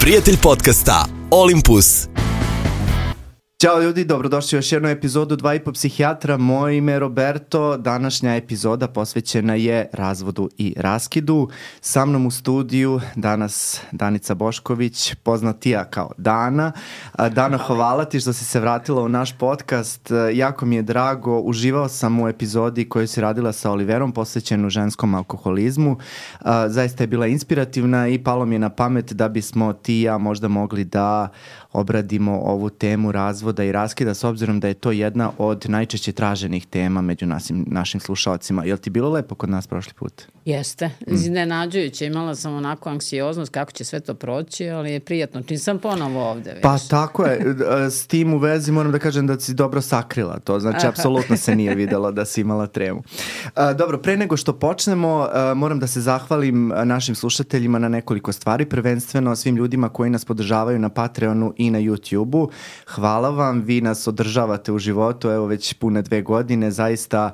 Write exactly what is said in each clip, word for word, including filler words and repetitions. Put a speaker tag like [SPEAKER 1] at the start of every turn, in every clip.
[SPEAKER 1] prijatelj podcasta Olympus.
[SPEAKER 2] Ćao ljudi, dobrodošli u još jednu epizodu Dva i po psihijatra. Moje ime je Roberto. Današnja epizoda posvećena je razvodu i raskidu. Sa mnom u studiju danas Danica Bošković, poznatija kao Dana. Dana, hvala ti što si se vratila u naš podcast. Jako mi je drago. Uživao sam u epizodi koju si radila sa Oliverom, posvećenu ženskom alkoholizmu. Zaista je bila inspirativna i palo mi je na pamet da bismo ti i ja možda mogli da obradimo ovu temu razvoda i raskida, s obzirom da je to jedna od najčešće traženih tema među našim, našim slušalcima. Je li ti bilo lepo kod nas prošli put?
[SPEAKER 3] Jeste, iznenađujuće. Imala sam onako anksioznost kako će sve to proći, ali je prijatno. Čim sam ponovo ovde, viš.
[SPEAKER 2] Pa tako je. S tim u vezi moram da kažem da si dobro sakrila to. Znači, apsolutno se nije videlo da si imala tremu. Dobro, pre nego što počnemo, moram da se zahvalim našim slušateljima na nekoliko stvari. Prvenstveno svim ljudima koji nas podržavaju na Patreonu i na YouTube-u. Hvala vam, vi nas održavate u životu, evo već pune dve godine. Zaista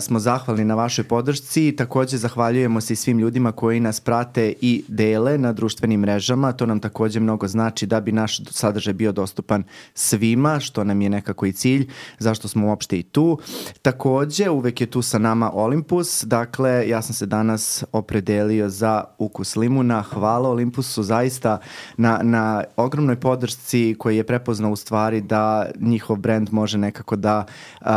[SPEAKER 2] smo zahvalni na vašoj podršci. Takođe zahvaljujemo se i svim ljudima koji nas prate i dele na društvenim mrežama. To nam takođe mnogo znači da bi naš sadržaj bio dostupan svima, što nam je nekako i cilj, zašto smo uopšte i tu. Takođe, uvek je tu sa nama Olympus. Dakle, ja sam se danas opredelio za ukus limuna. Hvala Olympusu zaista na, na ogromnoj podršci koji je prepoznao u stvari da njihov brand može nekako da uh,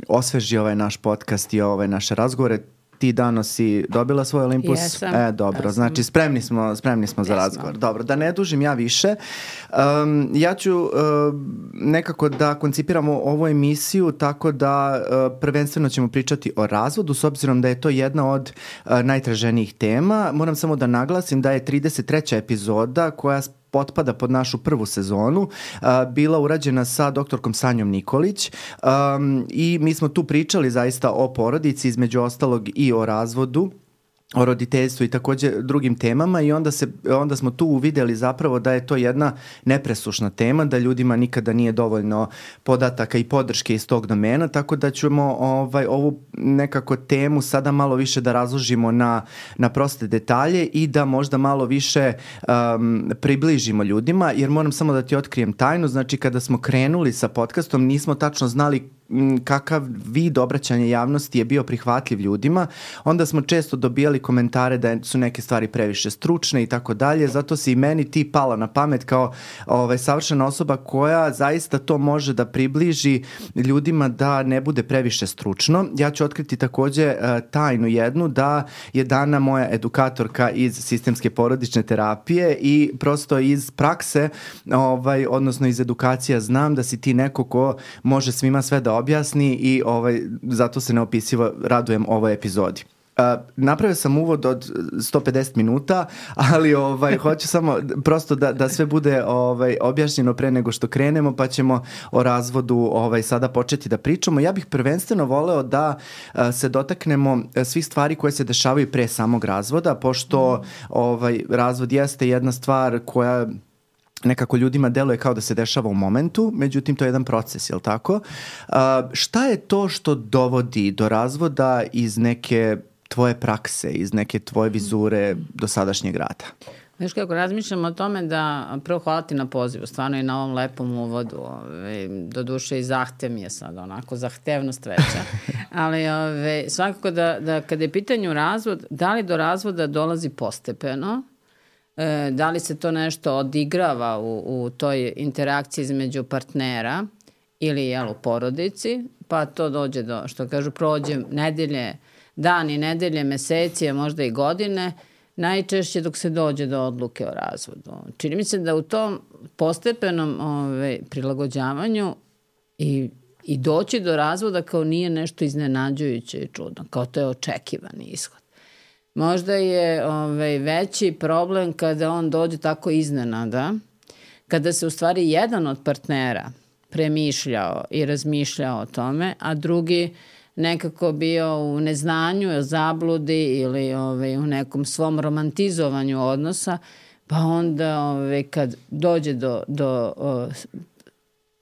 [SPEAKER 2] osveži ovaj naš podcast i ove naše razgovore. Ti, Dano, si dobila svoj Olympus?
[SPEAKER 3] Jesam.
[SPEAKER 2] E, dobro,
[SPEAKER 3] Jesam.
[SPEAKER 2] Znači spremni smo, spremni smo za razgovor. Dobro, da ne dužim ja više. Um, ja ću uh, nekako da koncipiramo ovu emisiju tako da uh, prvenstveno ćemo pričati o razvodu, s obzirom da je to jedna od uh, najtraženijih tema. Moram samo da naglasim da je trideset treća epizoda koja potpada pod našu prvu sezonu, uh, bila urađena sa doktorkom Sanjom Nikolić um, i mi smo tu pričali zaista o porodici, između ostalog i o razvodu, o roditeljstvu i takođe drugim temama i onda, se, onda smo tu uvideli zapravo da je to jedna nepresušna tema, da ljudima nikada nije dovoljno podataka i podrške iz tog domena, tako da ćemo ovaj, ovu nekako temu sada malo više da razložimo na, na proste detalje i da možda malo više um, približimo ljudima, jer moram samo da ti otkrijem tajnu, znači kada smo krenuli sa podcastom nismo tačno znali kakav vid obraćanja javnosti je bio prihvatljiv ljudima, onda smo često dobijali komentare da su neke stvari previše stručne i tako dalje, zato se i meni ti pala na pamet kao ovaj, savršena osoba koja zaista to može da približi ljudima da ne bude previše stručno. Ja ću otkriti takođe uh, tajnu jednu, da je Dana moja edukatorka iz sistemske porodične terapije i prosto iz prakse, ovaj, odnosno iz edukacija znam da si ti neko ko može svima sve da objasni i ovaj, zato se neopisivo radujem ovoj epizodi. Uh, napravio sam uvod od sto pedeset minuta, ali ovaj, hoću samo prosto da, da sve bude ovaj, objašnjeno pre nego što krenemo, pa ćemo o razvodu ovaj, sada početi da pričamo. Ja bih prvenstveno voleo da uh, se dotaknemo svih stvari koje se dešavaju pre samog razvoda, pošto ovaj, razvod jeste jedna stvar koja nekako ljudima deluje kao da se dešava u momentu, međutim to je jedan proces, jel tako? Uh, šta je to što dovodi do razvoda iz neke tvoje prakse, iz neke tvoje vizure do sadašnjeg rada?
[SPEAKER 3] Znaš kako, razmišljam o tome da, prvo hvala ti na pozivu, stvarno i na ovom lepom uvodu, ove, do duše i zahtev mi je sad, onako, zahtevnost veća, ali ove, svakako da, da kada je pitanju razvod, da li do razvoda dolazi postepeno, e, da li se to nešto odigrava u, u toj interakciji između partnera ili jel, u porodici, pa to dođe do, što kažu, prođe nedelje, dani, nedelje, meseci, a možda i godine, najčešće dok se dođe do odluke o razvodu. Čini mi se da u tom postepenom ove, prilagođavanju i, i doći do razvoda kao nije nešto iznenađujuće i čudno, kao to je očekivani ishod. Možda je ove, veći problem kada on dođe tako iznenada, kada se u stvari jedan od partnera premišljao i razmišljao o tome, a drugi nekako bio u neznanju, zabludi ili ovaj, u nekom svom romantizovanju odnosa, pa onda ovaj, kad dođe do, do o,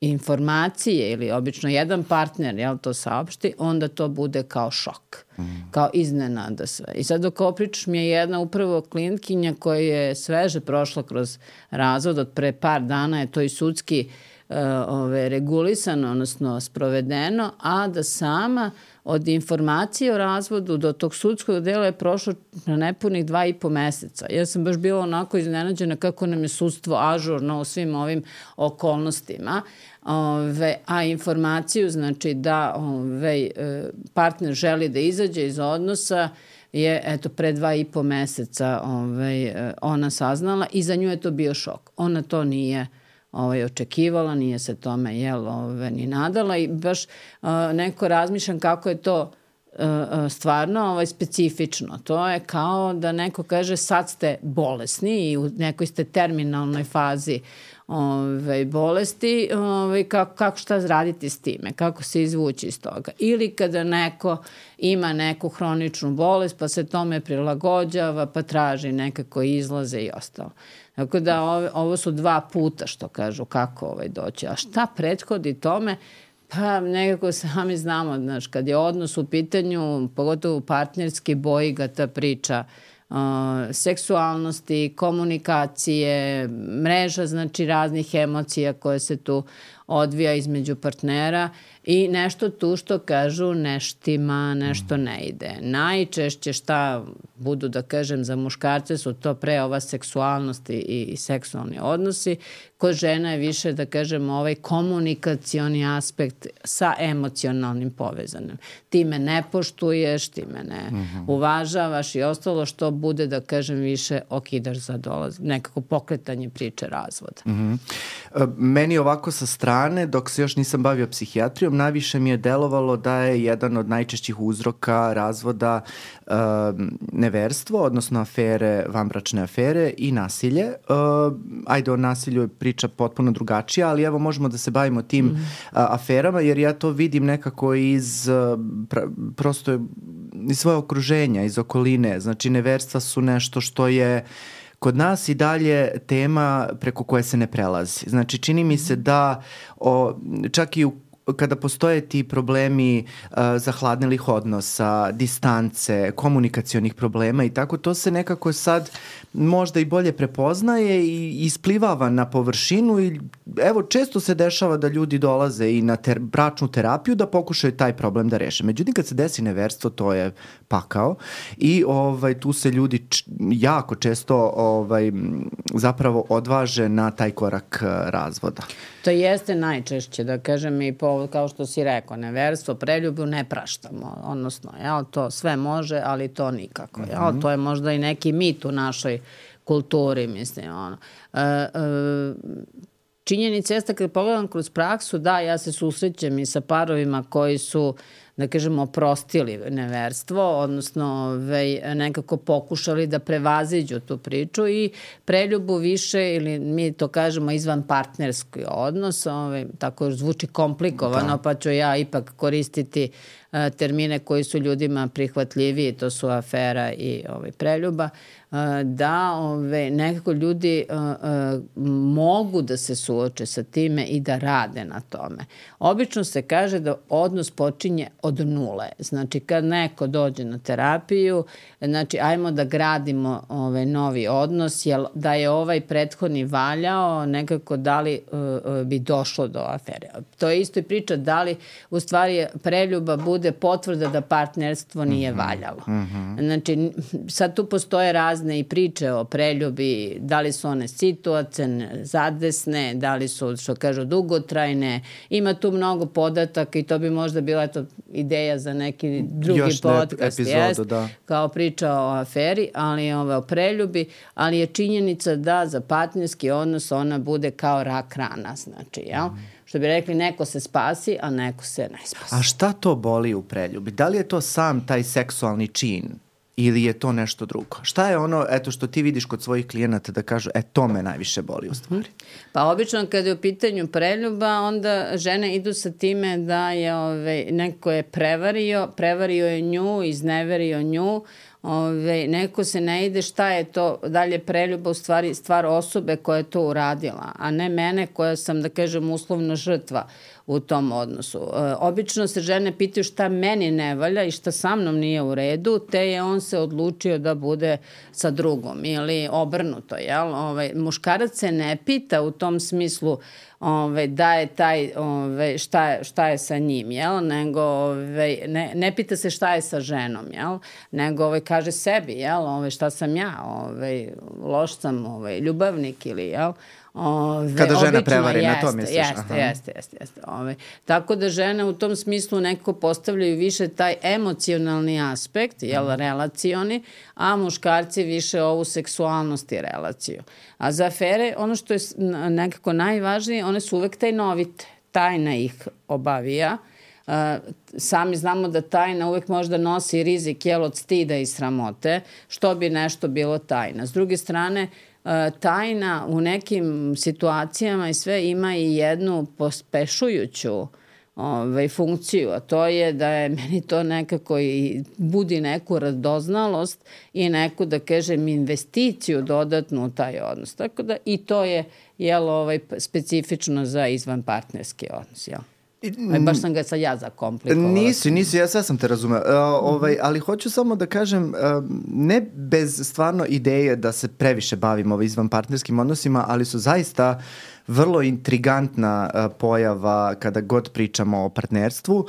[SPEAKER 3] informacije ili obično jedan partner jel, to saopšti, onda to bude kao šok, mm. kao iznenada sve. I sad dok ovo pričaš mi je jedna upravo klijentkinja koja je sveže prošla kroz razvod od pre par dana, je to i sudski uh, ove, regulisano, odnosno sprovedeno, a da sama od informacije o razvodu do tog sudskog dela je prošlo na nepunih dva i po meseca. Ja sam baš bila onako iznenađena kako nam je sudstvo ažurno u svim ovim okolnostima. Ove, a informaciju, znači da ove, partner želi da izađe iz odnosa, je eto pre dva i po meseca ove, ona saznala i za nju je to bio šok. Ona to nije ovaj, očekivala, nije se tome jel, ove, ni nadala i baš uh, neko razmišljam kako je to uh, stvarno ovaj, specifično. To je kao da neko kaže sad ste bolesni i u nekoj ste terminalnoj fazi ove, bolesti, ove, kako, kako šta raditi s time, kako se izvući iz toga. Ili kada neko ima neku hroničnu bolest pa se tome prilagođava pa traži nekako izlaze i ostalo. Tako da ovo, ovo su dva puta što kažu kako ovaj doći. A šta prethodi tome? Pa nekako sami znamo, znaš, kad je odnos u pitanju, pogotovo partnerski, boji ga ta priča uh, seksualnosti, komunikacije, mreža, znači raznih emocija koje se tu odvija između partnera i nešto tu što kažu neštima, nešto ne ide. Najčešće šta budu, da kažem, za muškarce su to pre ova seksualnost i, i seksualni odnosi. Kod žena je više, da kažem, ovaj komunikacioni aspekt sa emocionalnim povezanim. Ti me ne poštuješ, ti me ne mm-hmm. uvažavaš i ostalo što bude, da kažem, više okidaš za dolaz, nekako pokretanje priče razvoda.
[SPEAKER 2] Mm-hmm. Meni ovako sa strane, dok se još nisam bavio psihijatrijom, najviše mi je delovalo da je jedan od najčešćih uzroka razvoda uh, neverstvo, odnosno afere, vanbračne afere i nasilje. Uh, ajde, o nasilju je priča potpuno drugačija, ali evo možemo da se bavimo tim mm. uh, aferama, jer ja to vidim nekako iz uh, pra, prosto iz svoje okruženja, iz okoline. Znači, neverstva su nešto što je kod nas i dalje tema preko koje se ne prelazi. Znači, čini mi se da o, čak i u kada postoje ti problemi uh, zahladnelih odnosa, distance, komunikacionih problema i tako, to se nekako sad možda i bolje prepoznaje i isplivava na površinu i evo, često se dešava da ljudi dolaze i na ter- bračnu terapiju da pokušaju taj problem da reše. Međutim, kad se desi neverstvo, to je pakao i ovaj, tu se ljudi č- jako često ovaj, zapravo odvaže na taj korak uh, razvoda.
[SPEAKER 3] To jeste najčešće, da kažem, i po, kao što si rekao, neverstvo, preljubu ne praštamo, odnosno, jel, to sve može, ali to nikako, jel, mm-hmm. to je možda i neki mit u našoj kulturi, mislim, ono. E, e, činjenica jeste, kad pogledam kroz praksu, da, ja se susrećem i sa parovima koji su, da kažemo, oprostili neverstvo, odnosno vej, nekako pokušali da prevaziđu tu priču i preljubu više, ili mi to kažemo izvan partnerski odnos, ovaj, tako zvuči komplikovano, da. Pa ću ja ipak koristiti uh, termine koji su ljudima prihvatljiviji, to su afera i ovaj, preljuba, uh, da ove, nekako ljudi uh, uh, mogu da se suoče sa time i da rade na tome. Obično se kaže da odnos počinje od nule. Znači, kad neko dođe na terapiju, znači, ajmo da gradimo ovaj novi odnos, jer da je ovaj prethodni valjao, nekako da li uh, bi došlo do afere. To je isto i priča da li u stvari preljuba bude potvrda da partnerstvo nije mm-hmm. valjalo. Mm-hmm. Znači, sad tu postoje razne i priče o preljubi, da li su one situacione, zadesne, da li su, što kažu, dugotrajne. Ima tu mnogo podataka i to bi možda bila eto, ideja za neki drugi još podcast. Epizodu, jest, da. Kao priča o aferi, ali ove, o preljubi, ali je činjenica da za partnerski odnos ona bude kao rak rana, znači, jel? Mm. Što bi rekli, neko se spasi, a neko se ne spasi.
[SPEAKER 2] A šta to boli u preljubi? Da li je to sam taj seksualni čin ili je to nešto drugo? Šta je ono, eto, što ti vidiš kod svojih klijenata da kažu, e, to me najviše boli u stvari?
[SPEAKER 3] Pa obično kad je u pitanju preljuba, onda žene idu sa time da je ove, neko je prevario, prevario je nju, izneverio nju, Ove, neko se ne ide šta je to dalje preljuba, u stvari stvar osobe koja je to uradila, a ne mene koja sam, da kažem, uslovno žrtva u tom odnosu. E, obično se žene pitaju šta meni ne valja i šta sa mnom nije u redu, te je on se odlučio da bude sa drugom ili obrnuto, jel? Ove, muškarac se ne pita u tom smislu ove, da je taj, ove, šta, je, šta je sa njim, jel? Nego ove, ne, ne pita se šta je sa ženom, jel? Nego ove, kaže sebi, jel? Ove, šta sam ja, ove, loš sam, ove, ljubavnik ili, jel? Ove,
[SPEAKER 2] Kada žena
[SPEAKER 3] obično,
[SPEAKER 2] prevari,
[SPEAKER 3] jeste,
[SPEAKER 2] na to misliš?
[SPEAKER 3] Jeste,
[SPEAKER 2] Aha.
[SPEAKER 3] jeste, jeste. jeste ove. Tako da žene u tom smislu nekako postavljaju više taj emocionalni aspekt, jel, mm. relacioni, a muškarci više ovu seksualnost i relaciju. A za afere, ono što je nekako najvažnije, one su uvek tajnovite. Tajna ih obavija. Uh, sami znamo da tajna uvek možda nosi rizik, jel, od stida i sramote, što bi nešto bilo tajna. S druge strane, tajna u nekim situacijama i sve ima i jednu pospešujuću ovaj, funkciju, a to je da je meni to nekako i budi neku radoznalost i neku, da kažem, investiciju dodatnu u taj odnos. Tako da i to je, jel, ovaj, specifično za izvanpartnerski odnos, jel? Aj, baš sam ga sad ja zakomplikovala.
[SPEAKER 2] Nisi, nisi, ja sve sam te razumeo. Uh, ovaj, ali hoću samo da kažem, uh, ne bez stvarno ideje da se previše bavimo ovaj izvanpartnerskim odnosima, ali su zaista vrlo intrigantna uh, pojava kada god pričamo o partnerstvu. Uh,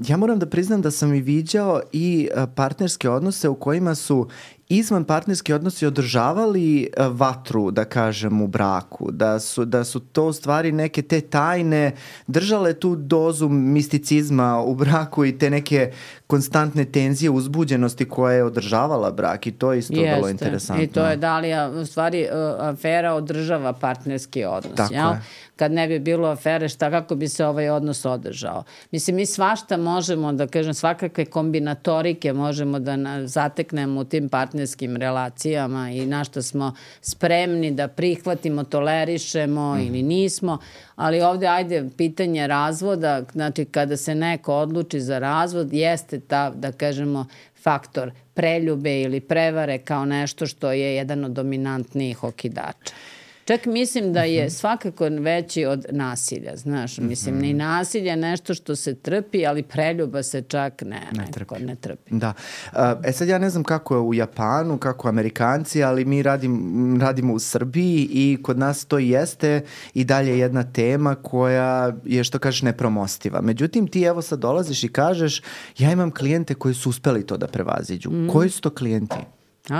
[SPEAKER 2] ja moram da priznam da sam i viđao i uh, partnerske odnose u kojima su izvan partnerski odnosi održavali vatru, da kažem, u braku, da su, da su to u stvari neke te tajne držale tu dozu misticizma u braku i te neke konstantne tenzije, uzbuđenosti koja je održavala brak i to je isto
[SPEAKER 3] Jeste.
[SPEAKER 2] vrlo interesantno.
[SPEAKER 3] I to je da li, u stvari, afera održava partnerski odnos.
[SPEAKER 2] Tako
[SPEAKER 3] jel?
[SPEAKER 2] je.
[SPEAKER 3] Kad ne bi bilo afere, šta, kako bi se ovaj odnos održao? Mislim, mi svašta možemo, da kažem, svakakve kombinatorike možemo da na, zateknemo u tim partnerskim relacijama i na što smo spremni da prihvatimo, tolerišemo mm. ili nismo, ali ovde, ajde, pitanje razvoda, znači kada se neko odluči za razvod, jeste ta, da kažemo, faktor preljube ili prevare kao nešto što je jedan od dominantnijih okidača. Čak mislim da je svakako veći od nasilja, znaš, mislim, ni nasilje je nešto što se trpi, ali preljuba se čak ne, ne, trpi. ne trpi.
[SPEAKER 2] Da. E sad ja ne znam kako je u Japanu, kako Amerikanci, ali mi radim, radimo u Srbiji i kod nas to jeste i dalje jedna tema koja je, što kažeš, nepromostiva. Međutim, ti evo sad dolaziš i kažeš, ja imam klijente koji su uspeli to da prevaziđu. Mm. Koji su to klijenti?
[SPEAKER 3] A?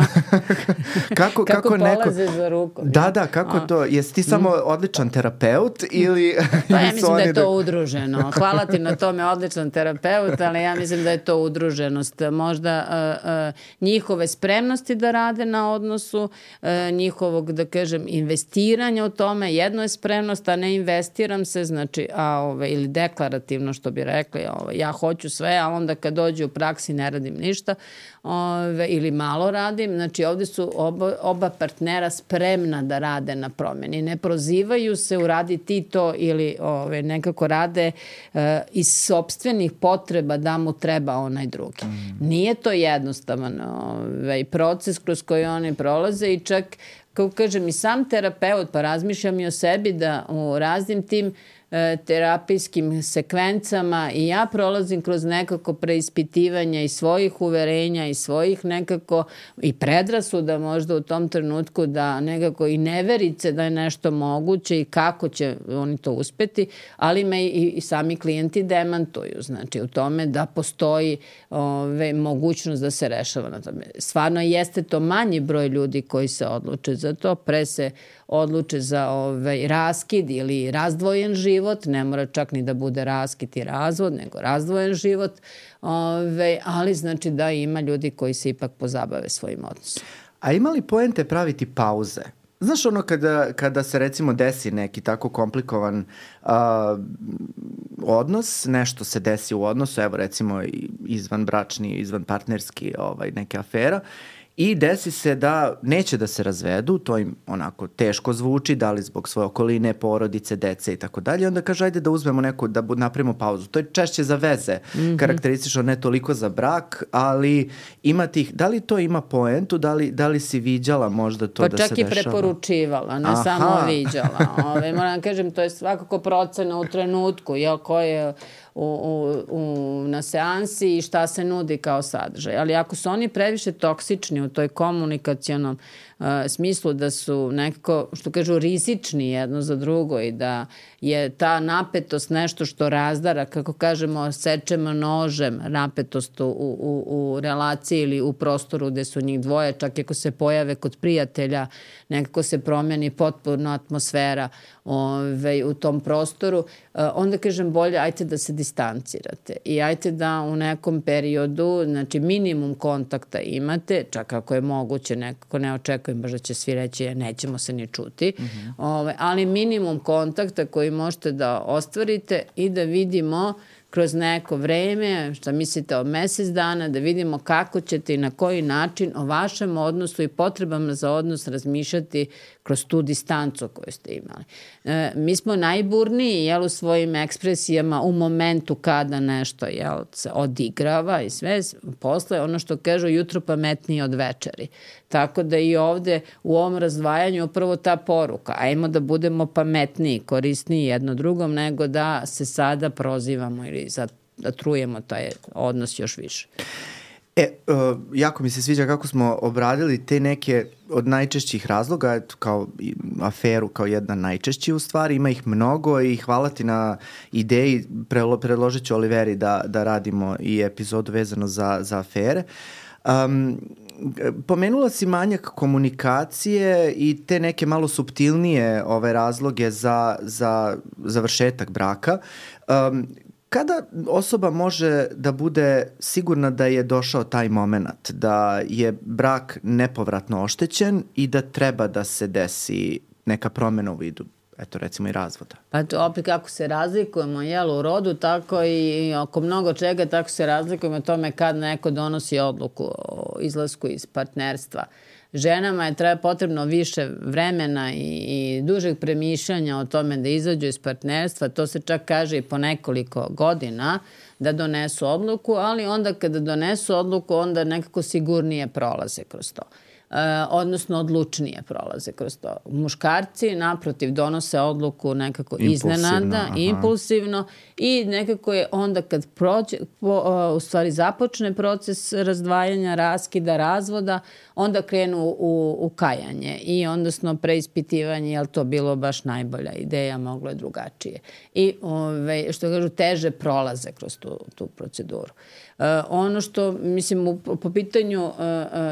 [SPEAKER 2] kako,
[SPEAKER 3] kako,
[SPEAKER 2] kako
[SPEAKER 3] polaze
[SPEAKER 2] neko...
[SPEAKER 3] za rukom.
[SPEAKER 2] Da, da, kako A. to? Jesi ti samo odličan terapeut ili...
[SPEAKER 3] Pa ja mislim da je to da... udruženo. Hvala ti na tome, odličan terapeut, ali ja mislim da je to udruženost. Možda uh, uh, njihove spremnosti da rade na odnosu, uh, njihovog, da kažem, investiranja u tome. Jedno je spremnost, a ne investiram se, znači, a, ove, ili deklarativno, što bi rekli, ove, ja hoću sve, a onda kad dođe u praksi ne radim ništa, ove, ili malo radim. Znači, ovde su oba, oba partnera spremna da rade na promjeni. Ne prozivaju se, uradi ti to ili ove, nekako rade e, iz sopstvenih potreba da mu treba onaj drugi. Mm. Nije to jednostavan ove, proces kroz koji oni prolaze i čak, kao kažem, i sam terapeut, pa razmišljam i o sebi da u raznim tim terapijskim sekvencama i ja prolazim kroz nekako preispitivanja i svojih uverenja i svojih nekako i predrasuda možda u tom trenutku da nekako i neverice da je nešto moguće i kako će oni to uspeti, ali me i, i sami klijenti demantuju, znači u tome da postoji ove, mogućnost da se rešava na tome. Stvarno jeste to manji broj ljudi koji se odluče za to, pre se odluče za ovaj, raskid ili razdvojen život, ne mora čak ni da bude raskid i razvod, nego razdvojen život, ovaj, ali znači da ima ljudi koji se ipak pozabave svojim odnosom.
[SPEAKER 2] A ima li poente praviti pauze? Znaš ono kada, kada se recimo desi neki tako komplikovan uh, odnos, nešto se desi u odnosu, evo recimo izvanbračni, izvanpartnerski ovaj, neka afera, i desi se da neće da se razvedu, to im onako teško zvuči, da li zbog svoje okoline, porodice, dece i tako dalje. Onda kaže, ajde da uzmemo neku, da napravimo pauzu. To je češće za veze, mm-hmm. karakteristično, ne toliko za brak, ali ima tih, da li to ima poentu, da li, da li si viđala možda to
[SPEAKER 3] pa
[SPEAKER 2] da se dešava?
[SPEAKER 3] Pa čak i preporučivala, ne Aha. samo viđala. Ove, moram kažem, to je svakako procena u trenutku, jel, ko je u, u, u, na seansi i šta se nudi kao sadržaj. Ali ako su oni previše toksični u toj komunikacionom uh, smislu da su nekako, što kažu, rizični jedno za drugo i da je ta napetost nešto što razdara, kako kažemo, sečemo nožem napetost u, u, u relaciji ili u prostoru gde su njih dvoje, čak ako se pojave kod prijatelja, nekako se promeni potpuno atmosfera ove, u tom prostoru, uh, onda kažem bolje, ajte da se distancirate i ajte da u nekom periodu, znači minimum kontakta imate, čak ako je moguće, nekako ne očekujem baš da će svi reći nećemo se ni čuti, mm-hmm. ove, ali minimum kontakta koji možete da ostvarite i da vidimo kroz neko vreme, šta mislite o mesec dana, da vidimo kako ćete i na koji način o vašem odnosu i potrebama za odnos razmišljati kroz tu distancu koju ste imali. E, mi smo najburniji, jel, u svojim ekspresijama u momentu kada nešto, jel, se odigrava i sve, posle ono što kažu jutro pametnije od večeri. Tako da i ovde u ovom razdvajanju upravo ta poruka, ajmo da budemo pametniji, korisniji jedno drugom, nego da se sada prozivamo ili da trujemo taj odnos još više.
[SPEAKER 2] E, uh, jako mi se sviđa kako smo obradili te neke od najčešćih razloga, kao aferu kao jedna najčešći u stvari, ima ih mnogo i hvala ti na ideji, predložit ću Oliveri da, da radimo i epizodu vezano za, za afere. Um, Pomenula si manjak komunikacije i te neke malo suptilnije ove razloge za, za završetak braka. Um, Kada osoba može da bude sigurna da je došao taj moment, da je brak nepovratno oštećen i da treba da se desi neka promena u vidu, eto recimo i razvoda?
[SPEAKER 3] Pa to opet kako se razlikujemo, jel, u rodu, tako i oko mnogo čega, tako se razlikujemo o tome kad neko donosi odluku o izlasku iz partnerstva. Ženama je treba potrebno više vremena i, i dužeg premišljanja o tome da izađu iz partnerstva. To se čak kaže i po nekoliko godina da donesu odluku, ali onda kada donesu odluku, onda nekako sigurnije prolaze kroz to. E, odnosno odlučnije prolaze kroz to. Muškarci naprotiv donose odluku nekako iznenada, aha. impulsivno i nekako je onda kad prođe, po, u stvari započne proces razdvajanja, raskida, razvoda, onda krenu u, u kajanje i odnosno preispitivanje je li to bilo baš najbolja ideja, moglo je drugačije. I ove, što kažu, teže prolaze kroz tu, tu proceduru. Uh, ono što, mislim, u, po pitanju uh,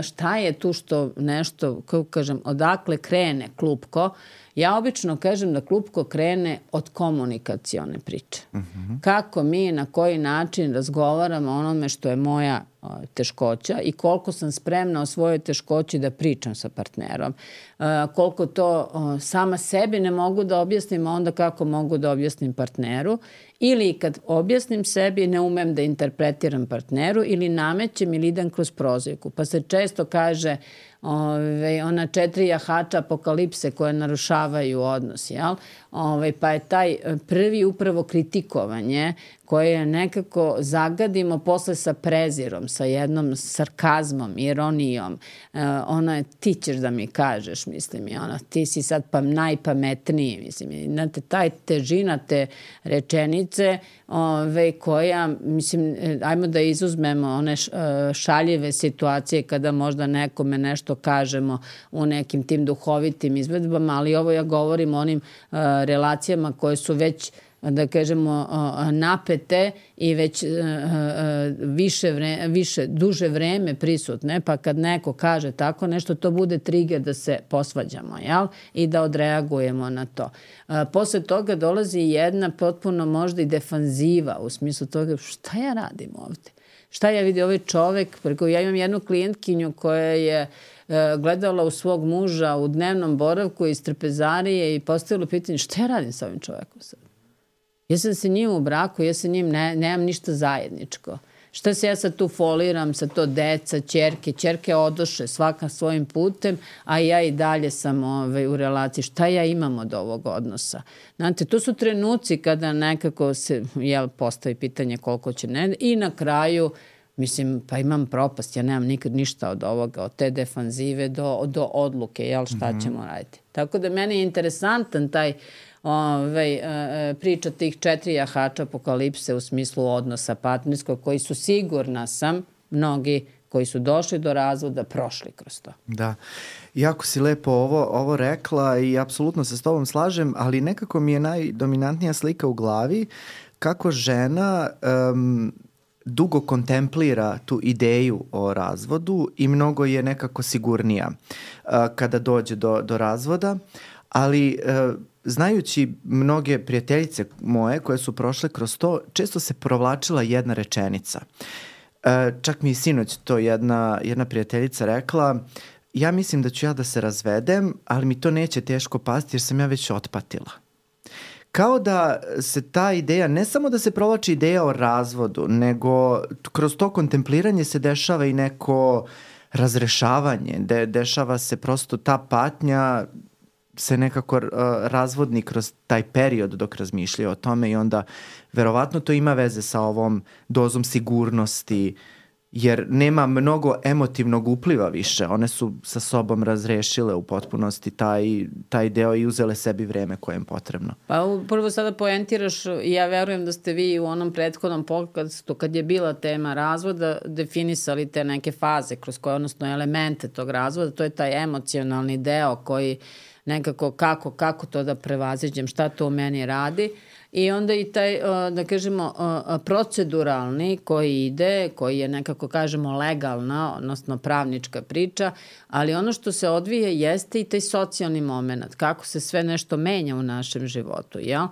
[SPEAKER 3] šta je tu što nešto, kako kažem, odakle krene klupko, ja obično kažem da klupko krene od komunikacione priče. Uh-huh. Kako mi, na koji način razgovaramo o onome što je moja uh, teškoća i koliko sam spremna o svojoj teškoći da pričam sa partnerom. Uh, koliko to uh, sama sebi ne mogu da objasnim, a onda kako mogu da objasnim partneru. Ili kad objasnim sebi, ne umem da interpretiram partneru ili namećem ili idem kroz prozivku. Pa se često kaže ove, ona četiri jahača apokalipse koje narušavaju odnos, jel? Ove, pa je taj prvi upravo kritikovanje koje nekako zagadimo posle sa prezirom, sa jednom sarkazmom, ironijom. E, ono je, ti ćeš da mi kažeš, mislim, i ona, ti si sad pa najpametniji, mislim. Znate, taj težina te rečenice ove, koja, mislim, ajmo da izuzmemo one šaljive situacije kada možda nekome nešto kažemo u nekim tim duhovitim izvedbama, ali ovo ja govorim o onim uh, relacijama koje su već, da kažemo, napete i već više, vre, više duže vreme prisutne, pa kad neko kaže tako nešto, to bude trigger da se posvađamo, jel? I da odreagujemo na to. Posle toga dolazi jedna potpuno možda i defanziva u smislu toga šta ja radim ovde? Šta ja vidim ovaj čovek, preko ja imam jednu klijentkinju koja je gledala u svog muža u dnevnom boravku iz trpezarije i postavila pitanje šta ja radim sa ovim čovekom sad? Ja sam se njim u braku, ja sa njim ne, nemam ništa zajedničko. Šta se ja sad tu foliram sa to deca, ćerke, ćerke odoše svaka svojim putem, a ja i dalje sam ovaj, u relaciji. Šta ja imam od ovog odnosa? Znate, to su trenuci kada nekako se jel, postavi pitanje koliko će ne... I na kraju, mislim, pa imam propast, ja nemam nikad ništa od ovoga, od te defanzive do, do odluke, jel, šta mm-hmm. ćemo raditi. Tako da meni je interesantan taj Ove, priča tih četiri jahača apokalipse u smislu odnosa partnerskog, koji su, sigurna sam, mnogi koji su došli do razvoda, prošli kroz to.
[SPEAKER 2] Da. Jako si lepo ovo, ovo rekla i apsolutno se s tobom slažem, ali nekako mi je najdominantnija slika u glavi kako žena um, dugo kontemplira tu ideju o razvodu i mnogo je nekako sigurnija uh, kada dođe do, do razvoda, ali uh, znajući mnoge prijateljice moje koje su prošle kroz to, često se provlačila jedna rečenica. E, čak mi i sinoć to jedna, jedna prijateljica rekla, ja mislim da ću ja da se razvedem, ali mi to neće teško pasti jer sam ja već otpatila. Kao da se ta ideja, ne samo da se provlači ideja o razvodu, nego kroz to kontempliranje se dešava i neko razrešavanje, de, dešava se prosto ta patnja, se nekako uh, razvodni kroz taj period dok razmišljaju o tome i onda verovatno to ima veze sa ovom dozom sigurnosti, jer nema mnogo emotivnog upliva više. One su sa sobom razrešile u potpunosti taj, taj deo i uzele sebi vreme koje im potrebno.
[SPEAKER 3] Pa prvo sada poentiraš, ja verujem da ste vi u onom prethodnom podcastu kad je bila tema razvoda definisali te neke faze kroz koje, odnosno elemente tog razvoda, to je taj emocionalni deo koji nekako kako, kako to da prevaziđem, šta to u meni radi. I onda i taj, da kažemo, proceduralni koji ide, koji je nekako, kažemo, legalna, odnosno pravnička priča, ali ono što se odvije jeste i taj socijalni moment, kako se sve nešto menja u našem životu. Jel?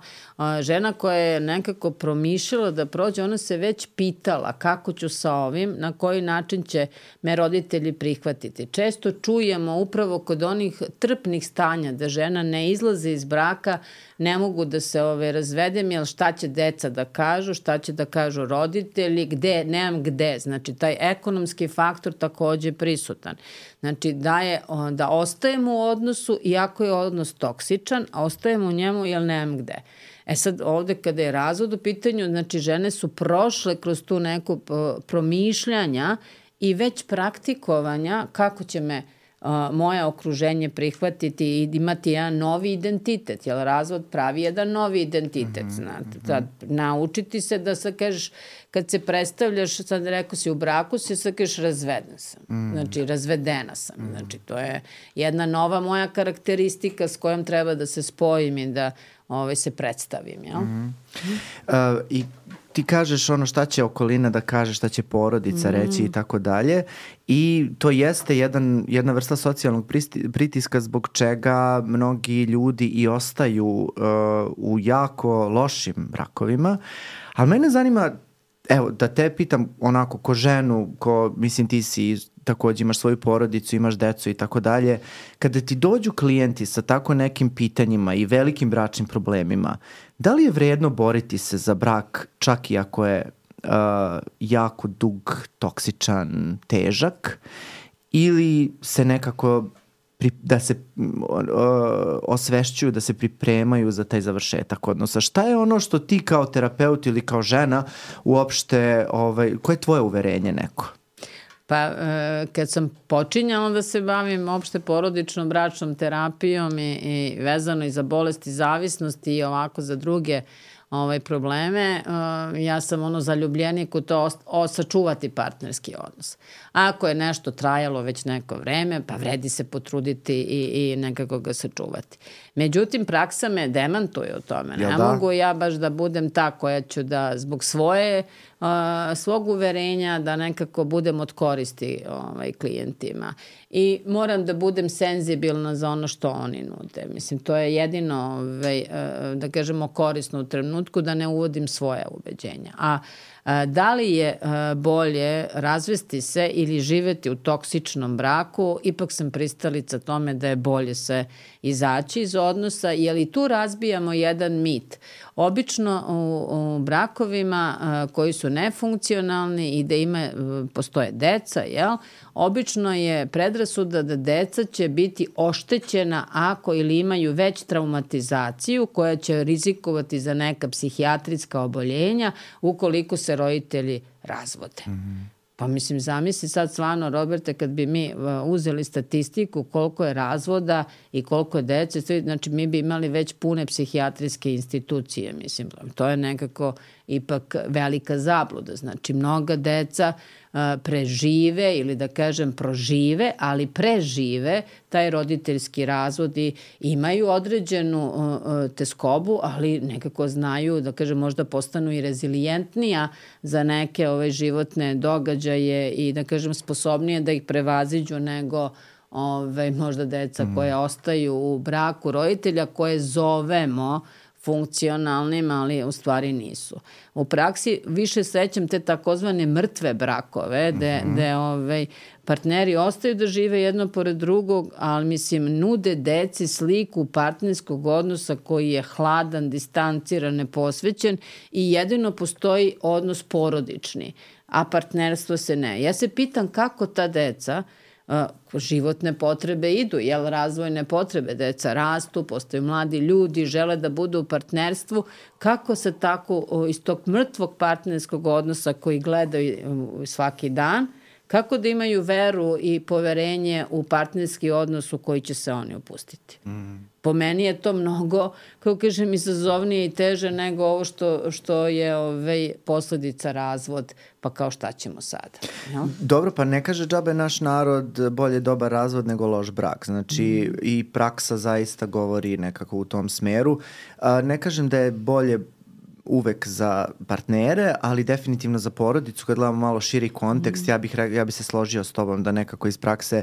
[SPEAKER 3] Žena koja je nekako promišljala da prođe, ona se već pitala kako ću sa ovim, na koji način će me roditelji prihvatiti. Često čujemo upravo kod onih trpnih stanja da žena ne izlazi iz braka, ne mogu da se ove, razvedem, jer šta će deca da kažu, šta će da kažu roditelji, gde, nemam gde. Znači, taj ekonomski faktor takođe je prisutan. Znači, da, je, da ostajemo u odnosu, iako je odnos toksičan, a ostajemo u njemu jer nemam gde. E sad, ovde kada je razvod u pitanju, znači, žene su prošle kroz tu neku promišljanja i već praktikovanja kako će me Uh, moje okruženje prihvatiti i imati jedan novi identitet, jer razvod pravi jedan novi identitet, mm-hmm, znate. Sad, naučiti se da sad kažeš, kad se predstavljaš, sad rekao si u braku si, sad kažeš razveden sam, mm-hmm. znači razvedena sam, mm-hmm. znači to je jedna nova moja karakteristika s kojom treba da se spojim i da ovaj, se predstavim, jel? Mm-hmm.
[SPEAKER 2] Uh, I ti kažeš ono šta će okolina da kaže, šta će porodica reći i tako dalje i to jeste jedan, jedna vrsta socijalnog pritiska zbog čega mnogi ljudi i ostaju uh, u jako lošim brakovima, ali mene zanima, evo da te pitam onako ko ženu, ko mislim ti si takođe imaš svoju porodicu, imaš decu i tako dalje, kada ti dođu klijenti sa tako nekim pitanjima i velikim bračnim problemima, da li je vredno boriti se za brak čak i ako je uh, jako dug, toksičan, težak ili se nekako pri, da se uh, osvešćuju, da se pripremaju za taj završetak odnosa? Šta je ono što ti kao terapeut ili kao žena uopšte, ovaj, koje je tvoje uverenje neko?
[SPEAKER 3] Pa e, kad sam počinjala da se bavim opšte porodičnom bračnom terapijom i, i vezano i za bolesti zavisnosti i ovako za druge ovaj, probleme, uh, ja sam ono zaljubljenik u to ost- o, sačuvati partnerski odnos. Ako je nešto trajalo već neko vreme, pa vredi se potruditi i, i nekako ga sačuvati. Međutim, praksa me demantuje u tome. Ne da? mogu ja baš da budem ta koja ću da zbog svoje, uh, svog uverenja da nekako budem od koristi ovaj, klijentima. I moram da budem senzibilna za ono što oni nude. Mislim, to je jedino, ovaj, uh, da kažemo, korisno u trenutku da ne uvodim svoje ubeđenja. A da li je bolje razvesti se ili živeti u toksičnom braku, ipak sam pristalica tome da je bolje se izaći iz odnosa, jer i tu razbijamo jedan mit. obično u, u brakovima a, koji su nefunkcionalni i da ima, postoje deca, jel? Obično je predrasuda da deca će biti oštećena ako ili imaju već traumatizaciju koja će rizikovati za neka psihijatrijska oboljenja ukoliko se roditelji razvode. Mm-hmm. Pa mislim, zamisli sad stvarno, Roberte, kad bi mi uzeli statistiku koliko je razvoda i koliko je dece, znači mi bi imali već pune psihijatrijske institucije, mislim. To je nekako ipak velika zabluda. Znači, mnoga deca uh, prežive ili da kažem prožive, ali prežive taj roditeljski razvod i imaju određenu uh, teskobu, ali nekako znaju, da kažem, možda postanu i rezilijentnija za neke ove životne događaje i da kažem sposobnije da ih prevaziđu nego ove, možda deca mm. koje ostaju u braku roditelja koje zovemo funkcionalnim, ali u stvari nisu. U praksi više srećem te takozvane mrtve brakove, gde, mm-hmm. gde ovaj, partneri ostaju da žive jedno pored drugog, ali mislim nude deci sliku partnerskog odnosa koji je hladan, distanciran, neposvećen i jedino postoji odnos porodični, a partnerstvo se ne. Ja se pitam kako ta deca Uh, životne potrebe idu, jel razvojne potrebe, deca rastu, postaju mladi ljudi, žele da budu u partnerstvu, kako se tako uh, iz tog mrtvog partnerskog odnosa koji gledaju uh, svaki dan, kako da imaju veru i poverenje u partnerski odnos u koji će se oni upustiti. Mm. Po meni je to mnogo, kako kažem, izazovnije i teže nego ovo što, što je ovaj, posledica razvod, pa kao šta ćemo sada. No?
[SPEAKER 2] Dobro, pa ne kaže džabe naš narod bolje dobar razvod nego loš brak. Znači mm. i praksa zaista govori nekako u tom smeru. A, ne kažem da je bolje uvek za partnere, ali definitivno za porodicu. Kad gledamo malo širi kontekst, mm. ja bih ja bih se složio s tobom da nekako iz prakse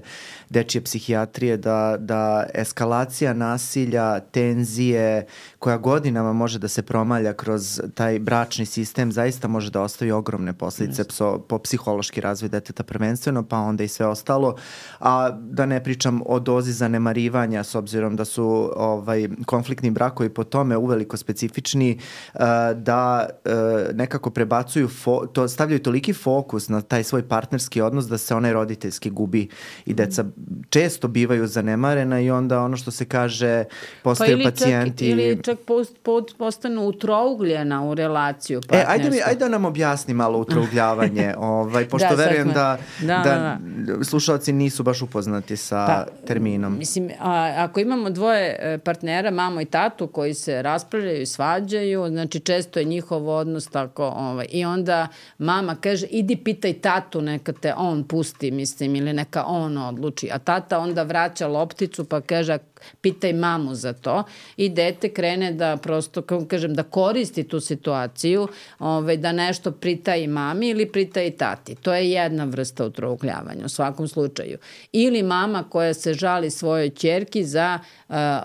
[SPEAKER 2] dečije psihijatrije da, da eskalacija nasilja, tenzije, koja godinama može da se promalja kroz taj bračni sistem, zaista može da ostavi ogromne posljedice pso, po psihološki razvoj deteta prvenstveno, pa onda i sve ostalo. A da ne pričam o dozi zanemarivanja, s obzirom da su ovaj, konfliktni brakovi po tome uveliko specifični, uh, da e, nekako prebacuju, fo, to stavljaju toliki fokus na taj svoj partnerski odnos da se onaj roditeljski gubi i deca često bivaju zanemarena i onda ono što se kaže postaju pa pacijenti.
[SPEAKER 3] Čak, ili čak post, post, postanu utrougljena u relaciju partnerstva.
[SPEAKER 2] E, ajde, mi, ajde da nam objasni malo utrougljavanje, ovaj, pošto da, verujem da, da, da, da slušalci nisu baš upoznati sa pa, terminom.
[SPEAKER 3] Mislim, a, ako imamo dvoje partnera, mamo i tatu koji se raspravljaju i svađaju, znači često to je njihov odnos tako, ovaj, i onda mama kaže idi pitaj tatu, neka te on pusti, mislim, ili neka on odluči, a tata onda vraća lopticu pa kaže pitaj mamu za to i dete krene da prosto, kako kažem, da koristi tu situaciju, ovaj, da nešto pritaji mami ili pritaji tati. To je jedna vrsta utrougljavanja u svakom slučaju. Ili mama koja se žali svojoj ćerki za a, a,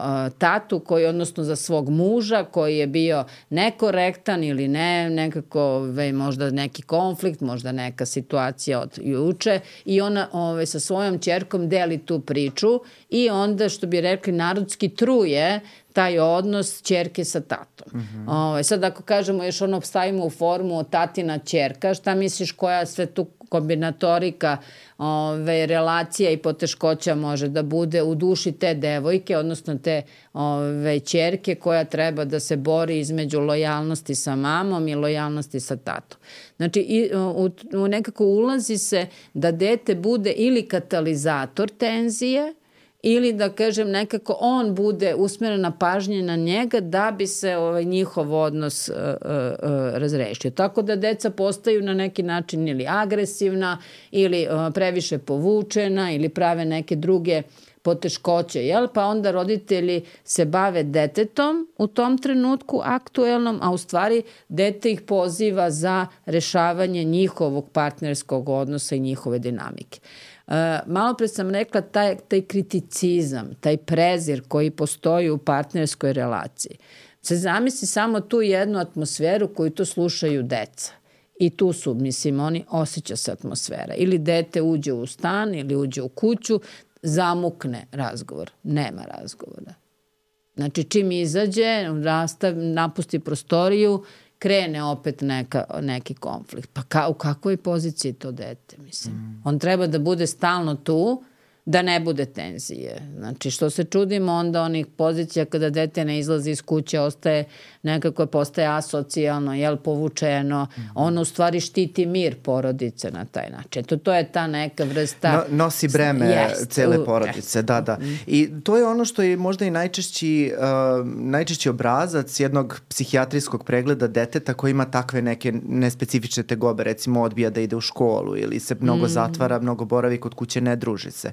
[SPEAKER 3] a, tatu, koji, odnosno za svog muža koji je bio nekorektan ili ne, nekako ovaj, možda neki konflikt, možda neka situacija od juče i ona ovaj, sa svojom ćerkom deli tu priču i onda što bi rekli narodski truje taj odnos ćerke sa tatom. Mm-hmm. Ovaj, sad ako kažemo još ono stavimo u formu tatina ćerka, šta misliš koja sve tu kombinatorika ove, relacija i poteškoća može da bude u duši te devojke, odnosno te ove, ćerke koja treba da se bori između lojalnosti sa mamom i lojalnosti sa tatom. Znači i, u, u nekako ulazi se da dete bude ili katalizator tenzije, ili da kažem nekako on bude usmerena pažnja na njega da bi se ovaj, njihov odnos uh, uh, razrešio. Tako da deca postaju na neki način ili agresivna ili uh, previše povučena ili prave neke druge poteškoće, jel? Pa onda roditelji se bave detetom u tom trenutku aktuelnom, a u stvari dete ih poziva za rešavanje njihovog partnerskog odnosa i njihove dinamike. Uh, malo pre sam rekla taj, taj kriticizam, taj prezir koji postoji u partnerskoj relaciji. Se zamisli samo tu jednu atmosferu koju to slušaju deca. I tu su, mislim, oni osjeća se atmosfera. Ili dete uđe u stan ili uđe u kuću, zamukne razgovor. Nema razgovora. Znači, čim izađe, rastav, napusti prostoriju, krene opet neka, neki konflikt. Pa ka, u kakvoj poziciji to dete, mislim? Mm. On treba da bude stalno tu, da ne bude tenzije. Znači, što se čudimo onda onih pozicija kada dete ne izlazi iz kuće, ostaje nekako postaje asocijalno, jel, povučeno. Mm. Ono u stvari štiti mir porodice na taj način. To, to je ta neka vrsta...
[SPEAKER 2] No, nosi breme yes, cele porodice, da, da. I to je ono što je možda i najčešći, uh, najčešći obrazac jednog psihijatrijskog pregleda deteta koji ima takve neke nespecifične tegobe, recimo odbija da ide u školu ili se mnogo mm. zatvara, mnogo boravi kod kuće, ne druži se.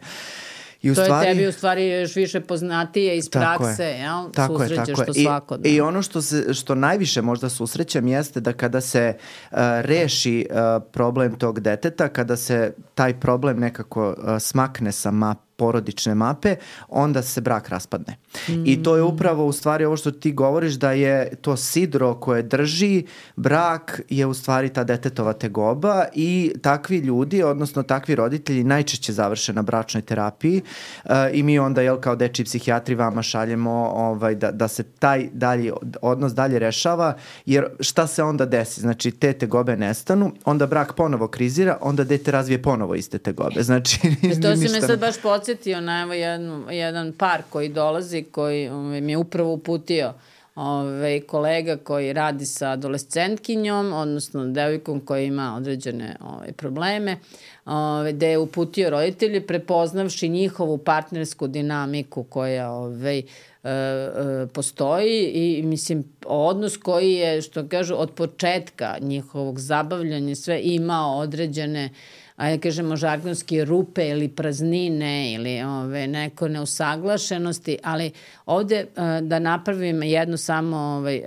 [SPEAKER 2] I u
[SPEAKER 3] to
[SPEAKER 2] stvari,
[SPEAKER 3] je tebi u stvari još više poznatije iz prakse,
[SPEAKER 2] je,
[SPEAKER 3] jel?
[SPEAKER 2] Tako
[SPEAKER 3] susrećeš
[SPEAKER 2] je, tako
[SPEAKER 3] to
[SPEAKER 2] je.
[SPEAKER 3] svakodne.
[SPEAKER 2] I, I ono što, se, što najviše možda susrećem jeste da kada se uh, reši uh, problem tog deteta, kada se taj problem nekako uh, smakne sa map, porodične mape, onda se brak raspadne. Mm. I to je upravo u stvari ovo što ti govoriš, da je to sidro koje drži brak je u stvari ta detetova tegoba i takvi ljudi, odnosno takvi roditelji najčešće završe na bračnoj terapiji uh, i mi onda, jel, kao dečiji psihijatri vama šaljemo ovaj, da, da se taj dalji odnos dalje rešava, jer šta se onda desi? Znači, te tegobe nestanu, onda brak ponovo krizira, onda dete razvije ponovo iste tegobe. Znači,
[SPEAKER 3] e to si me sad baš podsjetio na evo jedan, jedan par koji dolazi, koji ovaj, mi je upravo uputio ovaj, kolega koji radi sa adolescentkinjom, odnosno devojkom koja ima određene ovaj, probleme, ovaj, gde je uputio roditelji prepoznavši njihovu partnersku dinamiku koja ovaj, e, e, postoji i mislim odnos koji je, što kažu, od početka njihovog zabavljanja sve imao određene, ajde kažemo žargonski, rupe ili praznine ili ove, neko neusaglašenosti, ali ovde uh, da napravim jednu samo ovaj, uh,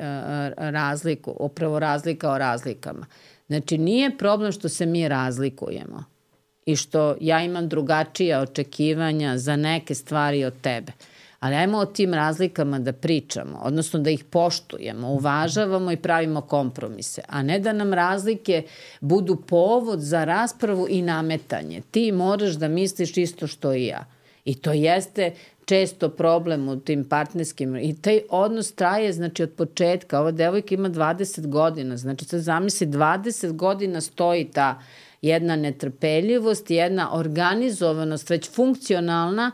[SPEAKER 3] razliku, upravo razlika o razlikama. Znači, nije problem što se mi razlikujemo i što ja imam drugačija očekivanja za neke stvari od tebe. Ali ajmo o tim razlikama da pričamo, odnosno da ih poštujemo, uvažavamo i pravimo kompromise, a ne da nam razlike budu povod za raspravu i nametanje. Ti moraš da misliš isto što i ja. I to jeste često problem u tim partnerskim. I taj odnos traje, znači, od početka. Ova devojka ima dvadeset godina, znači sad zamisli, dvadeset godina stoji ta jedna netrpeljivost, jedna organizovanost, već funkcionalna,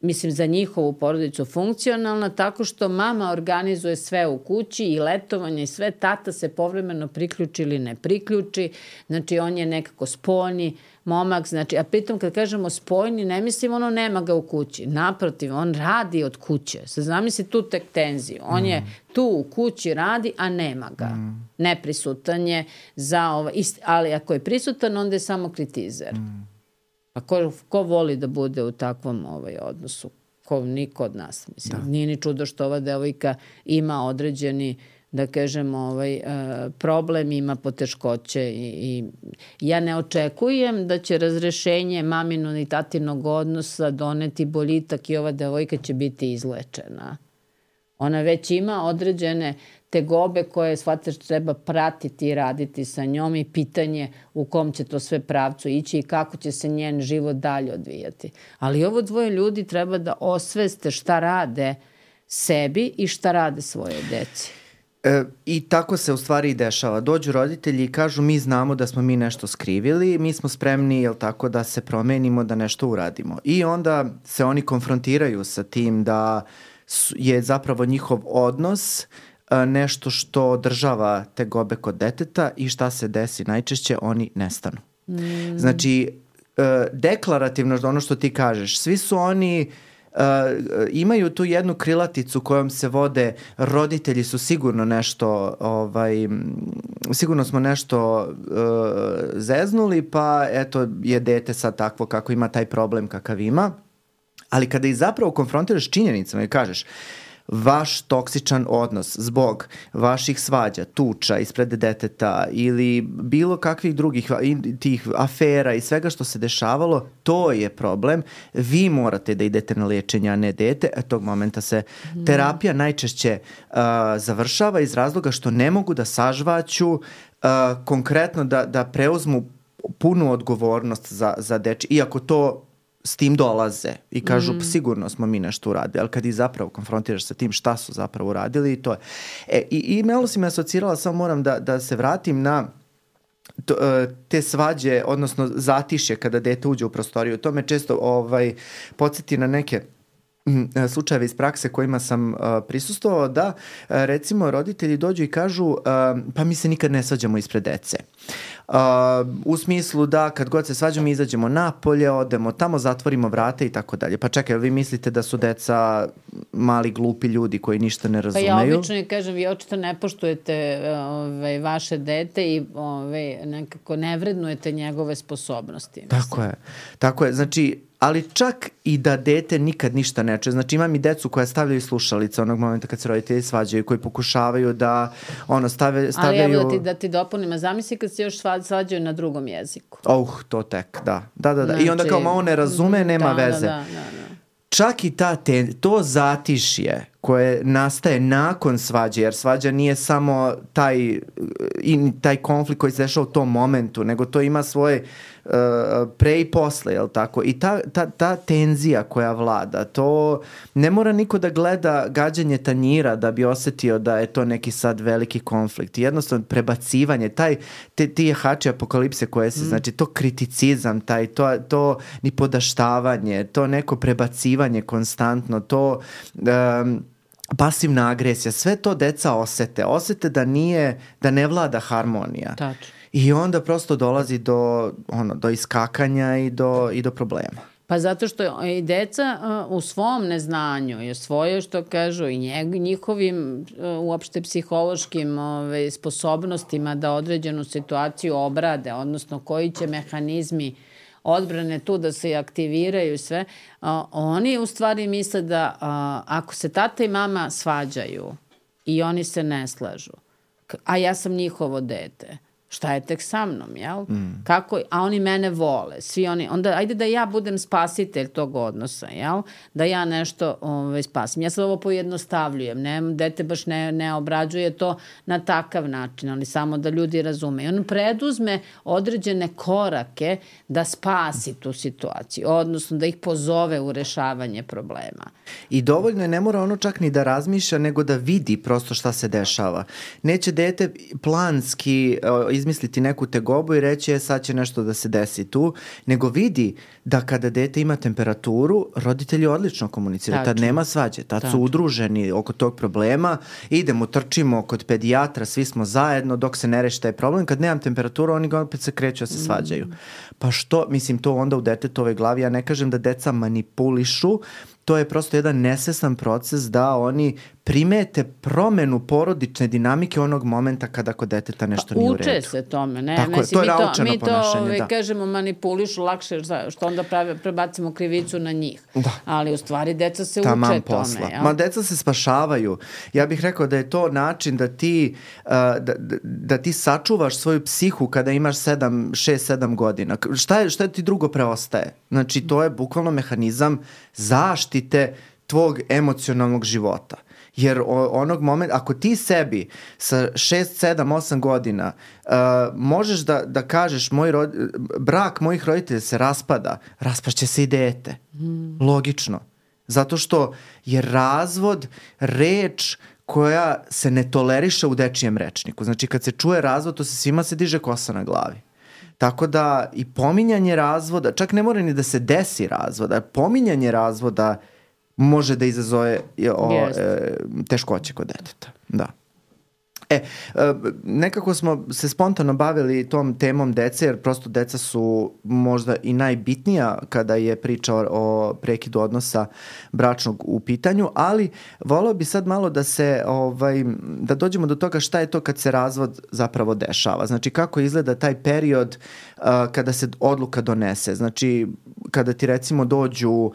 [SPEAKER 3] mislim, za njihovu porodicu funkcionalna, tako što mama organizuje sve u kući i letovanje i sve, tata se povremeno priključi ili ne priključi, znači on je nekako spoljni momak, znači, a pritom kad kažemo spoljni, ne mislim ono nema ga u kući, naprotiv, on radi od kuće, se zamisli tu tek tenziju, on mm. je tu u kući radi, a nema ga, mm. neprisutan je za ovo, ali ako je prisutan, onda je samo kritizer. Mm. A ko, ko voli da bude u takvom ovaj odnosu? Ko, niko od nas. Mislim, da. Nije ni čudo što ova devojka ima određeni, da kažemo, ovaj, uh, problem, ima poteškoće i, i ja ne očekujem da će razrešenje maminog i tatinog odnosa doneti boljitak i ova devojka će biti izlečena. Ona već ima određene tegobe koje, shvataš, treba pratiti i raditi sa njom i pitanje u kom će to sve pravcu ići i kako će se njen život dalje odvijati. Ali ovo dvoje ljudi treba da osveste šta rade sebi i šta rade svoje deci.
[SPEAKER 2] E, I tako se u stvari i dešava. Dođu roditelji i kažu mi znamo da smo mi nešto skrivili, mi smo spremni, jel tako, da se promenimo, da nešto uradimo. I onda se oni konfrontiraju sa tim da je zapravo njihov odnos nešto što održava tegobe kod deteta i šta se desi najčešće, oni nestanu. Mm. Znači, deklarativno ono što ti kažeš, svi su oni Uh, imaju tu jednu krilaticu kojom se vode, roditelji su sigurno nešto, ovaj, sigurno smo nešto uh, zeznuli, pa eto je dete sad takvo kako ima taj problem kakav ima, ali kada ih zapravo konfrontiraš činjenicama i kažeš vaš toksičan odnos zbog vaših svađa, tuča ispred deteta ili bilo kakvih drugih tih afera i svega što se dešavalo, to je problem. Vi morate da idete na liječenje, a ne dete. E, tog momenta se mm. terapija najčešće uh, završava iz razloga što ne mogu da sažvaću uh, konkretno da, da preuzmu punu odgovornost za, za deči. Iako to s tim dolaze i kažu mm. sigurno smo mi nešto uradili, ali kad ih zapravo konfrontiraš sa tim šta su zapravo uradili i to je. E, i, i malo si me asocirala, samo moram da, da se vratim na to, te svađe, odnosno zatišje kada dete uđe u prostoriju. To me često ovaj, podsjeti na neke slučajeve iz prakse kojima sam uh, prisustvovao, da uh, recimo roditelji dođu i kažu uh, pa mi se nikad ne svađamo ispred dece. Uh, u smislu da kad god se svađamo izađemo napolje, odemo tamo, zatvorimo vrate i tako dalje. Pa čekaj, vi mislite da su deca mali glupi ljudi koji ništa ne razumeju?
[SPEAKER 3] Pa ja obično kažem, vi očito ne poštujete ove, vaše dete i ove, nekako ne vrednujete njegove sposobnosti. Mislim.
[SPEAKER 2] Tako je. Tako je. Znači, ali čak i da dete nikad ništa ne čuje. Znači imam i decu koja stavljaju slušalice onog momenta kad se roditelji svađaju, koji pokušavaju da ono stave, stavljaju...
[SPEAKER 3] Ali evo da ti, da ti dopunim, a zamisli kad se još svađaju na drugom jeziku.
[SPEAKER 2] Oh, to tek, da. Da, da, da. Znači, i onda kao malo ne razume, nema
[SPEAKER 3] da,
[SPEAKER 2] veze.
[SPEAKER 3] Da, da, da, da.
[SPEAKER 2] Čak i ta te, to zatišje koje nastaje nakon svađe, jer svađa nije samo taj, i, taj konflikt koji se dešava u tom momentu, nego to ima svoje uh, pre i posle, jel tako? I ta, ta, ta tenzija koja vlada, to ne mora niko da gleda gađanje tanjira da bi osetio da je to neki sad veliki konflikt. Jednostavno prebacivanje, taj, te, ti jahači apokalipse koje se, mm. znači to kriticizam, taj, to, to ni podaštavanje, to neko prebacivanje konstantno, to... Um, pasivna agresija, sve to deca osete. Osete da nije, da ne vlada harmonija.
[SPEAKER 3] Tačno.
[SPEAKER 2] I onda prosto dolazi do, ono, do iskakanja i do, i do problema.
[SPEAKER 3] Pa zato što i deca uh, u svom neznanju i svoje, što kažu, i njeg, njihovim uh, uopšte psihološkim ove, sposobnostima da određenu situaciju obrade, odnosno koji će mehanizmi odbrane tu da se aktiviraju i sve, a, oni u stvari misle da a, ako se tata i mama svađaju i oni se ne slažu, a ja sam njihovo dete, šta je tek sa mnom, jel? Mm. Kako, a oni mene vole, svi oni, onda ajde da ja budem spasitelj tog odnosa, jel? Da ja nešto ovaj, spasim. Ja sad ovo pojednostavljujem, ne, dete baš ne, ne obrađuje to na takav način, ali samo da ljudi razume. On preduzme određene korake da spasi tu situaciju, odnosno da ih pozove u rešavanje problema.
[SPEAKER 2] I dovoljno je, ne mora ono čak ni da razmišlja, nego da vidi prosto šta se dešava. Neće dete planski izmisliti neku tegobu i reći je sad će nešto da se desi tu, nego vidi da kada dete ima temperaturu, roditelji odlično komuniciraju, tad nema svađe, tad Tačno. Su udruženi oko tog problema, idemo, trčimo kod pedijatra, svi smo zajedno dok se ne reši taj problem, kad nemam temperaturu oni ga opet se kreću da se svađaju. Pa što, mislim, to onda u detetove glavi, ja ne kažem da deca manipulišu, to je prosto jedan nesvestan proces da oni primete promenu porodične dinamike onog momenta kada kod deteta nešto pa, nije u redu.
[SPEAKER 3] Uče se tome, ne?
[SPEAKER 2] Tako
[SPEAKER 3] Mislim,
[SPEAKER 2] je, to je naučeno
[SPEAKER 3] mi to,
[SPEAKER 2] ponašanje,
[SPEAKER 3] mi to
[SPEAKER 2] da.
[SPEAKER 3] kažemo manipulišu lakše, što onda pravi, prebacimo krivicu na njih. Da. Ali u stvari deca se
[SPEAKER 2] Taman
[SPEAKER 3] uče
[SPEAKER 2] posla.
[SPEAKER 3] tome. Ja?
[SPEAKER 2] Ma deca se spašavaju. Ja bih rekao da je to način da ti, uh, da, da ti sačuvaš svoju psihu kada imaš sedam, šest, sedam godina. Šta je, šta ti drugo preostaje? Znači, to je bukvalno mehanizam zaštite tvog emocionalnog života. Jer onog momenta, ako ti sebi sa šest, sedam, osam godina uh, možeš da, da kažeš moj rod, brak mojih roditelja se raspada, raspašće se i dete. Mm. Logično. Zato što je razvod reč koja se ne toleriše u dečijem rečniku. Znači kad se čuje razvod, to se svima se diže kosa na glavi. Tako da i pominjanje razvoda, čak ne mora ni da se desi razvoda, pominjanje razvoda može da izazove o, yes. e, teškoće kod deteta. Da. E, nekako smo se spontano bavili tom temom dece, jer prosto deca su možda i najbitnija kada je priča o, o prekidu odnosa bračnog u pitanju, ali voleo bi sad malo da se, ovaj, da dođemo do toga šta je to kad se razvod zapravo dešava. Znači, kako izgleda taj period uh, kada se odluka donese. Znači, kada ti recimo dođu uh,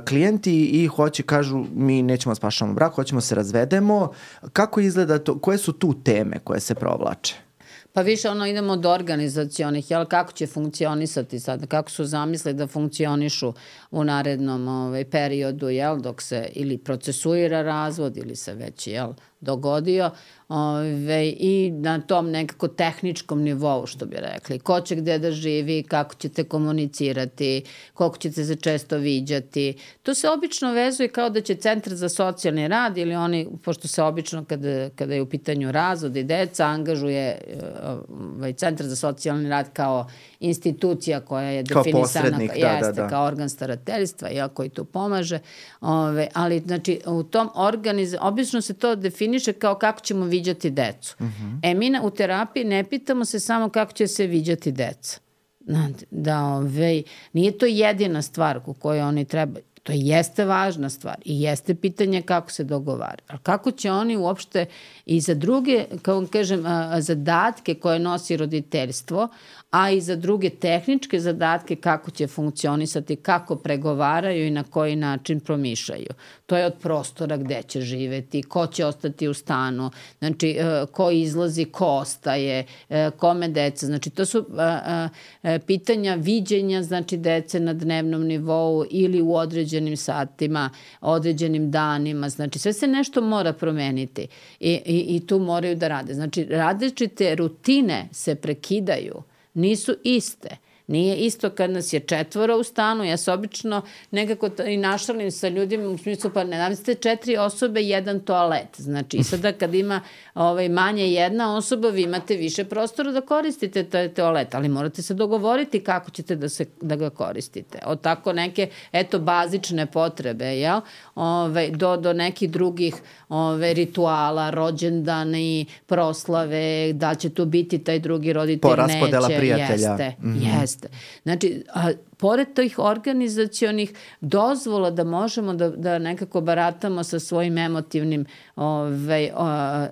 [SPEAKER 2] klijenti i hoće, kažu, mi nećemo spašavamo brak, hoćemo se razvedemo. Kako izgleda to, koje su tu teme koje se provlače?
[SPEAKER 3] Pa više ono idemo od organizacionih, jel, kako će funkcionisati sad, kako su zamisli da funkcionišu u narednom ovaj, periodu, jel, dok se ili procesuira razvod ili se već, jel, dogodio ove, i na tom nekako tehničkom nivou, što bi rekli. Ko će gde da živi, kako ćete komunicirati, koliko ćete se često viđati. To se obično vezuje kao da će Centar za socijalni rad ili oni, pošto se obično kada, kada je u pitanju razvod i deca, angažuje ovaj, Centar za socijalni rad kao institucija koja je
[SPEAKER 2] kao
[SPEAKER 3] definisana
[SPEAKER 2] da,
[SPEAKER 3] jeste,
[SPEAKER 2] da, da.
[SPEAKER 3] kao organ starateljstva, ja, koji tu pomaže. Ove, ali znači u tom organiz... obično se to definiše kao kako ćemo viđati decu. Uh-huh. E mi na, u terapiji ne pitamo se samo kako će se viđati deca. Da, ove, nije to jedina stvar u kojoj oni treba. To jeste važna stvar i jeste pitanje kako se dogovara. Ali kako će oni uopšte i za druge, kao kažem, zadatke koje nosi roditeljstvo, a i za druge tehničke zadatke kako će funkcionisati, kako pregovaraju i na koji način promišljaju. To je od prostora gde će živeti, ko će ostati u stanu, znači ko izlazi, ko ostaje, kome deca. Znači to su pitanja viđenja, znači dece na dnevnom nivou ili u određenim satima, određenim danima. Znači sve se nešto mora promeniti i, i, i tu moraju da rade. Znači različite rutine se prekidaju, nisu iste. Nije isto kad nas je četvora u stanu, ja se obično nekako i našalim sa ljudima u smislu, pa ne namislite četiri osobe, jedan toalet. Znači i sada kad ima ovaj, manje jedna osoba, vi imate više prostora da koristite taj toalet, ali morate se dogovoriti kako ćete da, se, da ga koristite. Od tako neke, eto, bazične potrebe, jel? Ove, do, do nekih drugih ove, rituala, rođendani, proslave, da će tu biti taj drugi roditelj, neće.
[SPEAKER 2] Poraspodela prijatelja.
[SPEAKER 3] Jeste, mm-hmm. jeste. Znači, a, pored tih organizacionih dozvola da možemo da, da nekako baratamo sa svojim emotivnim ove, o,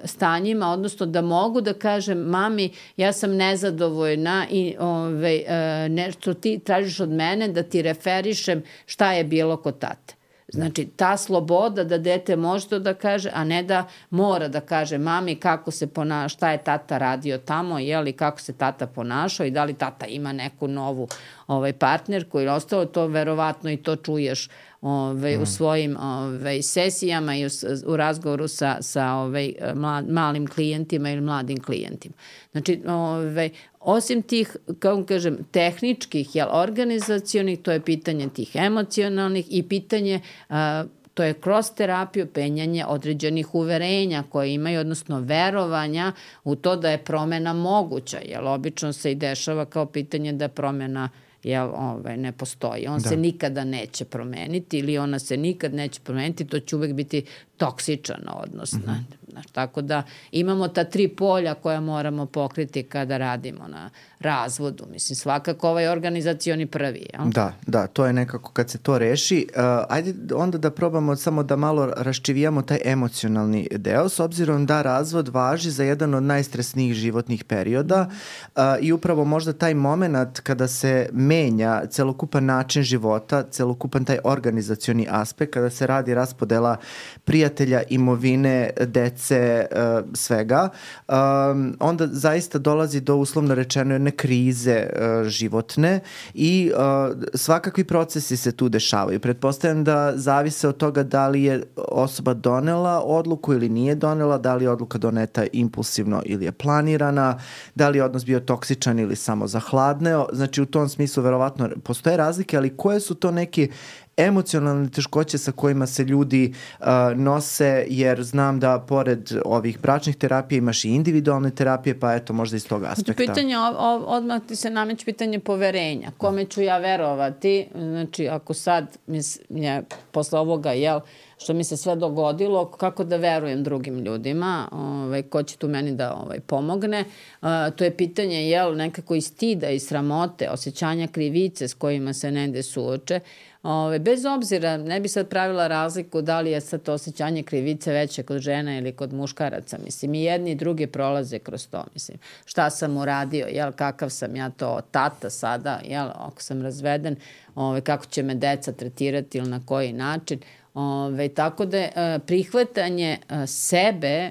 [SPEAKER 3] stanjima, odnosno da mogu da kažem mami, ja sam nezadovoljna i ove, nešto ti tražiš od mene da ti referišem šta je bilo kod tate. Znači, ta sloboda da dete može to da kaže, a ne da mora da kaže mami kako se ponaša, šta je tata radio tamo, jeli, kako se tata ponašao i da li tata ima neku novu ovaj, partnerku ili ostalo, to verovatno i to čuješ ovaj, mm. u svojim ovaj, sesijama i u, u razgovoru sa, sa ovaj, mlad, malim klijentima ili mladim klijentima. Znači, ovaj, osim tih, kao kažem, tehničkih, jel, organizacionih, to je pitanje tih emocionalnih i pitanje, a, to je kroz terapiju penjanje određenih uverenja koje imaju, odnosno verovanja u to da je promena moguća, jer obično se i dešava kao pitanje da promena jel, ovaj, ne postoji. On da. se nikada neće promeniti ili ona se nikad neće promeniti, to će uvek biti toksičan odnos. Mm-hmm. Znaš, tako da imamo ta tri polja koja moramo pokriti kada radimo na razvodu. Mislim, svakako ovaj organizacioni prvi. Jel?
[SPEAKER 2] Da, da, to je nekako kad se to reši. Uh, ajde onda da probamo samo da malo raščivijamo taj emocionalni deo, s obzirom da razvod važi za jedan od najstresnijih životnih perioda uh, i upravo možda taj moment kada se menja celokupan način života, celokupan taj organizacioni aspekt, kada se radi raspodela prijatelja, imovine, dece, uh, svega, um, onda zaista dolazi do uslovno rečeno jedne krize uh, životne i uh, svakakvi procesi se tu dešavaju. Pretpostavljam da zavise od toga da li je osoba donela odluku ili nije donela, da li je odluka doneta impulsivno ili je planirana, da li je odnos bio toksičan ili samo zahladneo. Znači u tom smislu verovatno postoje razlike, ali koje su to neki emocionalne teškoće sa kojima se ljudi uh, nose, jer znam da pored ovih bračnih terapija imaš i individualne terapije, pa eto možda iz tog aspekta.
[SPEAKER 3] Znači, pitanje, o, odmah ti se nameće pitanje poverenja. Kome ću ja verovati? Znači, ako sad, mislim, je, posle ovoga, jel, što mi se sve dogodilo, kako da verujem drugim ljudima, ovaj, ko će tu meni da ovaj, pomogne. Uh, to je pitanje, jel, nekako i stida i sramote, osjećanja krivice s kojima se negde suoče. Ove, bez obzira, ne bi sad pravila razliku da li je sad to osjećanje krivice veće kod žena ili kod muškaraca. Mislim, i jedni i drugi prolaze kroz to. Mislim, šta sam uradio, jel, kakav sam ja to tata sada, jel, ako sam razveden, ove, kako će me deca tretirati ili na koji način. Ove, tako da je prihvatanje sebe,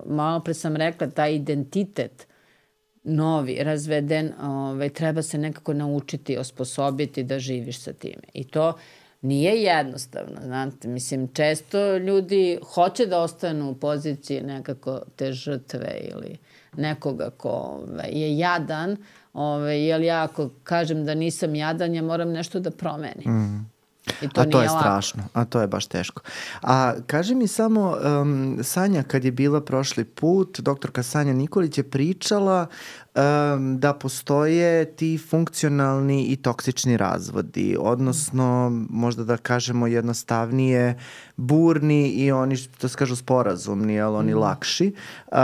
[SPEAKER 3] malo pre sam rekla, taj identitet novi, razveden, ovaj, treba se nekako naučiti, osposobiti da živiš sa time. I to nije jednostavno, znate, mislim, često ljudi hoće da ostanu u poziciji nekako te žrtve ili nekoga ko ove, je jadan, ove, jer ja ako kažem da nisam jadan, ja moram nešto da promenim. Mm. I to
[SPEAKER 2] a to je
[SPEAKER 3] lako.
[SPEAKER 2] strašno, a to je baš teško. A kaži mi samo, um, Sanja kad je bila prošli put, doktorka Sanja Nikolić je pričala um, da postoje ti funkcionalni i toksični razvodi, odnosno možda da kažemo jednostavnije burni i oni, to se kažu sporazumni, jel, oni mm. lakši. Uh,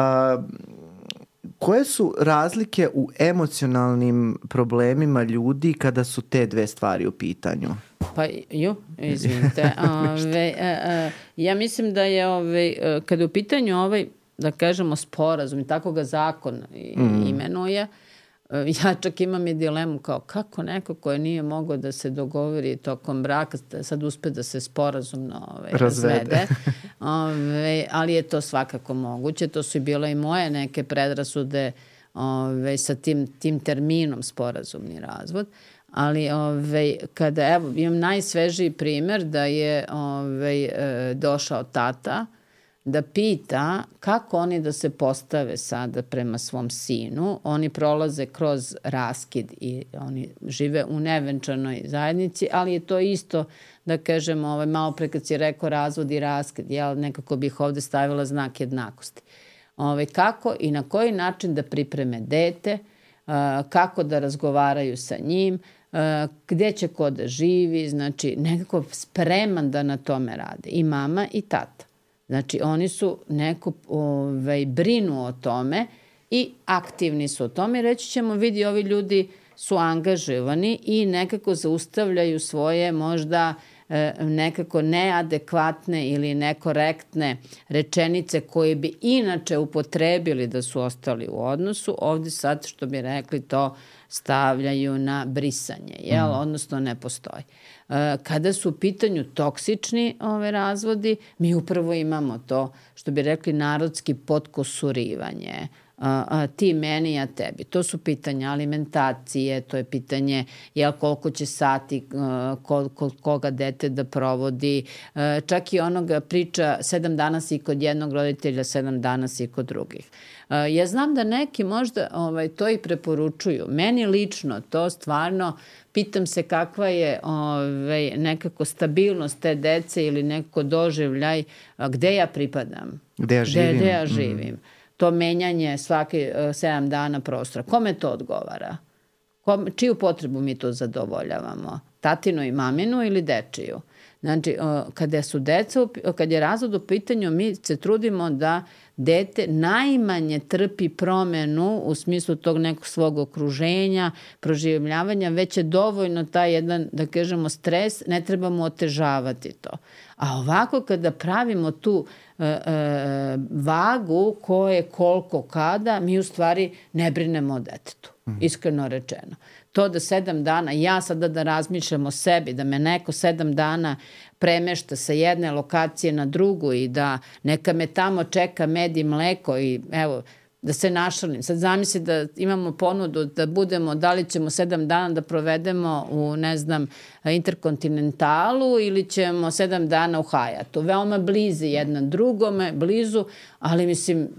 [SPEAKER 2] Koje su razlike u emocionalnim problemima ljudi kada su te dve stvari u pitanju?
[SPEAKER 3] Pa, ju, izvinite. Ove, a, a, ja mislim da je, ove, kada je u pitanju ovaj, da kažemo, sporazum i tako ga zakon mm. imenuje, ja čak imam i dilemu kao kako neko koje nije mogao da se dogovori tokom braka, sad uspe da se sporazumno ove, razvede. Ove, ali je to svakako moguće. To su i bile i moje neke predrasude ove, sa tim, tim terminom sporazumni razvod. Ali ove, kada, evo, imam najsvežiji primer da je ove, došao tata da pita kako oni da se postave sada prema svom sinu. Oni prolaze kroz raskid i oni žive u nevenčanoj zajednici, ali je to isto, da kažem, ovaj, malo pre kad si rekao razvod i raskid, ja nekako bih ovde stavila znak jednakosti. Ovaj, kako i na koji način da pripreme dete, kako da razgovaraju sa njim, gde će ko da živi, znači nekako spreman da na tome rade. I mama i tata. Znači, oni su neko ovaj, brinu o tome i aktivni su o tome. Reći ćemo, vidi, ovi ljudi su angažovani i nekako zaustavljaju svoje možda e, nekako neadekvatne ili nekorektne rečenice koje bi inače upotrebili da su ostali u odnosu. Ovde sad, što bi rekli, to stavljaju na brisanje, jel? Mm. Odnosno ne postoji. Kada su u pitanju toksični ove razvodi, mi upravo imamo to, što bi rekli narodski, potkosurivanje. A, a, ti meni, ja tebi. To su pitanja alimentacije, to je pitanje jel, koliko će sati kol, kol, koga dete da provodi. E, čak i onoga priča sedam dana si kod jednog roditelja, sedam dana si kod drugih. E, ja znam da neki možda ovaj, to i preporučuju. Meni lično to stvarno pitam se kakva je ovaj, nekako stabilnost te dece ili nekako doživljaj gde ja pripadam.
[SPEAKER 2] Gde ja živim.
[SPEAKER 3] Gde, gde ja živim. Mm. To menjanje svake uh, sedam dana prostora. Kome to odgovara? Kom, čiju potrebu mi to zadovoljavamo? Tatinu i maminu ili dečiju? Znači, uh, kada su deca, kad je razvod u pitanju, mi se trudimo da dete najmanje trpi promenu u smislu tog nekog svog okruženja, proživljavanja, već je dovoljno taj jedan, da kažemo, stres, ne trebamo otežavati to. A ovako kada pravimo tu e, e, vagu ko je koliko kada, mi u stvari ne brinemo o detetu, mm. iskreno rečeno. To da sedam dana, ja sada da razmišljam o sebi, da me neko sedam dana premešta sa jedne lokacije na drugu i da neka me tamo čeka med i mleko i evo, da se našalim. Sad zamisli da imamo ponudu da budemo, da li ćemo sedam dana da provedemo u, ne znam, Interkontinentalu ili ćemo sedam dana u Hayatu. Veoma blizi jedna drugome, blizu, ali mislim,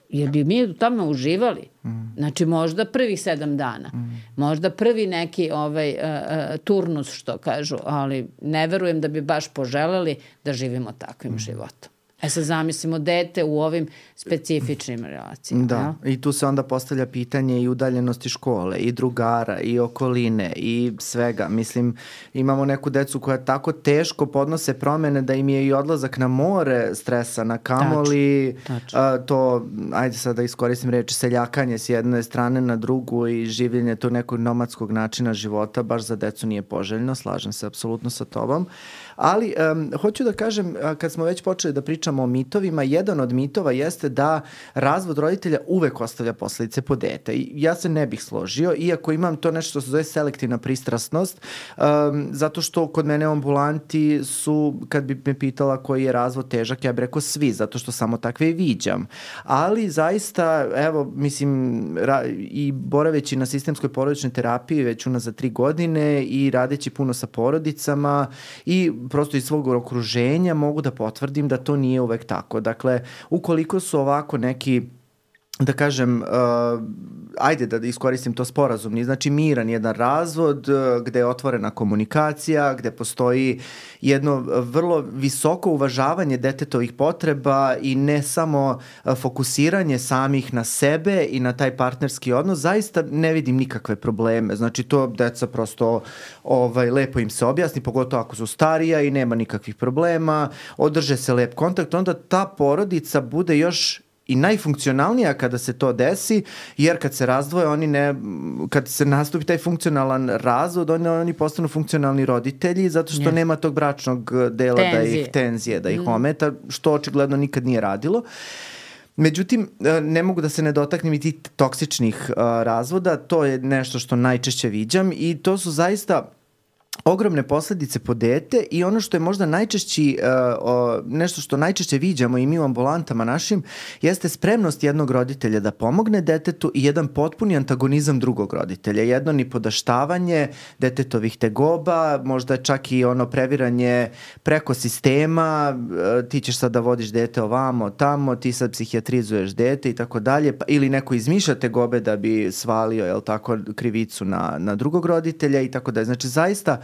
[SPEAKER 3] jer bi mi u tome uživali. Mm. Znači možda prvih sedam dana. Mm. Možda prvi neki ovaj, uh, uh, turnus, što kažu, ali ne verujem da bi baš poželeli da živimo takvim mm. životom. E sad zamislimo dete u ovim specifičnim relacijama.
[SPEAKER 2] Da,
[SPEAKER 3] ja?
[SPEAKER 2] I tu se onda postavlja pitanje i udaljenosti škole, i drugara, i okoline, i svega. Mislim, imamo neku decu koja tako teško podnose promene da im je i odlazak na more stresa, na kamoli, tačno, tačno. A, to, ajde sad da iskoristim reči, seljakanje s jedne strane na drugu i življenje tog nekog nomadskog načina života baš za decu nije poželjno, slažem se apsolutno sa tobom. Ali um, hoću da kažem, kad smo već počeli da pričamo o mitovima, jedan od mitova jeste da razvod roditelja uvek ostavlja posledice po dete. I ja se ne bih složio, iako imam to nešto što se zove selektivna pristrasnost, um, zato što kod mene u ambulanti su, kad bi me pitala koji je razvod težak, ja bih rekao svi, zato što samo takve i viđam. Ali zaista, evo, mislim, ra, i boraveći na sistemskoj porodičnoj terapiji već unazad tri godine i radeći puno sa porodicama i prosto iz svog okruženja mogu da potvrdim da to nije uvek tako. Dakle, ukoliko su ovako neki, da kažem, uh, ajde da iskoristim to sporazumni, znači miran jedan razvod uh, gde je otvorena komunikacija, gde postoji jedno vrlo visoko uvažavanje detetovih potreba i ne samo uh, fokusiranje samih na sebe i na taj partnerski odnos, zaista ne vidim nikakve probleme. Znači to deca prosto ovaj, lepo im se objasni, pogotovo ako su starija i nema nikakvih problema, održe se lep kontakt, onda ta porodica bude još i najfunkcionalnija kada se to desi, jer kad se razdvoje, oni ne, kad se nastupi taj funkcionalan razvod, oni, oni postanu funkcionalni roditelji, zato što yes. nema tog bračnog dela tenzije. da ih tenzije, da ih mm. ometa, što očigledno nikad nije radilo. Međutim, ne mogu da se ne dotaknem i tih toksičnih uh, razvoda, to je nešto što najčešće viđam i to su zaista ogromne posledice po dete i ono što je možda najčešći, uh, nešto što najčešće viđamo i mi u ambulantama našim, jeste spremnost jednog roditelja da pomogne detetu i jedan potpuni antagonizam drugog roditelja. Jedno nipodaštavanje detetovih tegoba, možda čak i ono previranje preko sistema, uh, ti ćeš sad da vodiš dete ovamo, tamo, ti sad psihijatrizuješ dete i tako dalje, ili neko izmišlja tegobe da bi svalio, jel tako, krivicu na, na drugog roditelja i tako dalje. Znači, zaista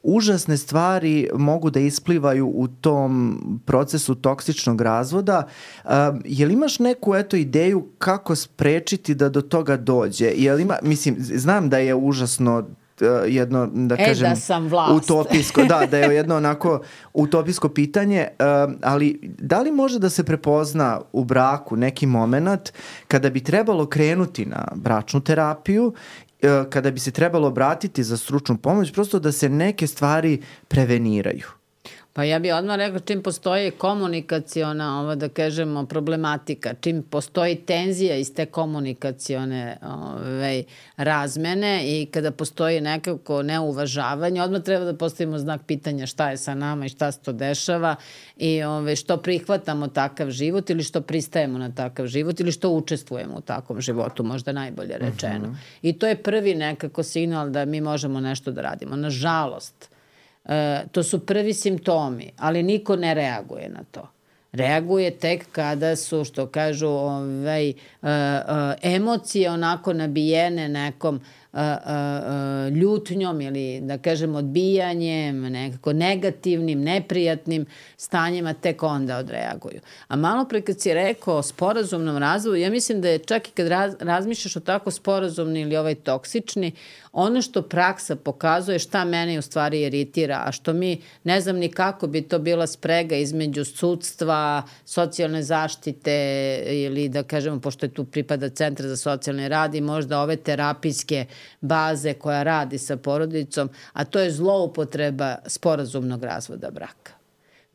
[SPEAKER 2] užasne stvari mogu da isplivaju u tom procesu toksičnog razvoda. Uh, jel imaš neku eto ideju kako sprečiti da do toga dođe? Jel ima, mislim, znam da je užasno uh, jedno, da
[SPEAKER 3] e,
[SPEAKER 2] kažem,
[SPEAKER 3] da sam vlast.
[SPEAKER 2] utopijsko, da, da je jedno onako utopijsko pitanje, uh, ali da li može da se prepozna u braku neki moment kada bi trebalo krenuti na bračnu terapiju, kada bi se trebalo obratiti za stručnu pomoć, prosto da se neke stvari preveniraju?
[SPEAKER 3] Pa ja bih odmah rekla, čim postoji komunikaciona, ovo da kažemo, problematika, čim postoji tenzija iz te komunikacione ove, razmene i kada postoji nekako neuvažavanje, odmah treba da postavimo znak pitanja šta je sa nama i šta se to dešava i ove, što prihvatamo takav život ili što pristajemo na takav život ili što učestvujemo u takvom životu, možda najbolje rečeno. Uh-huh. I to je prvi nekako signal da mi možemo nešto da radimo. Nažalost, E, to su prvi simptomi, ali niko ne reaguje na to. Reaguje tek kada su, što kažu, ovaj, e, e, emocije onako nabijene nekom e, e, ljutnjom ili, da kažem, odbijanjem, nekako negativnim, neprijatnim stanjima, tek onda odreaguju. A malo pre kad si rekao o sporazumnom razvoju, ja mislim da je čak i kad raz, razmišljaš o tako sporazumni ili ovaj toksični, ono što praksa pokazuje šta mene u stvari iritira, a što mi ne znam ni kako bi to bila sprega između sudstva, socijalne zaštite ili da kažemo, pošto je tu pripada Centar za socijalni rad i možda ove terapijske baze koja radi sa porodicom, a to je zloupotreba sporazumnog razvoda braka.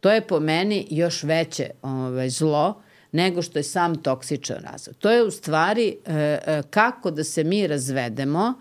[SPEAKER 3] To je po meni još veće ovaj, zlo nego što je sam toksičan razvod. To je u stvari e, e, kako da se mi razvedemo,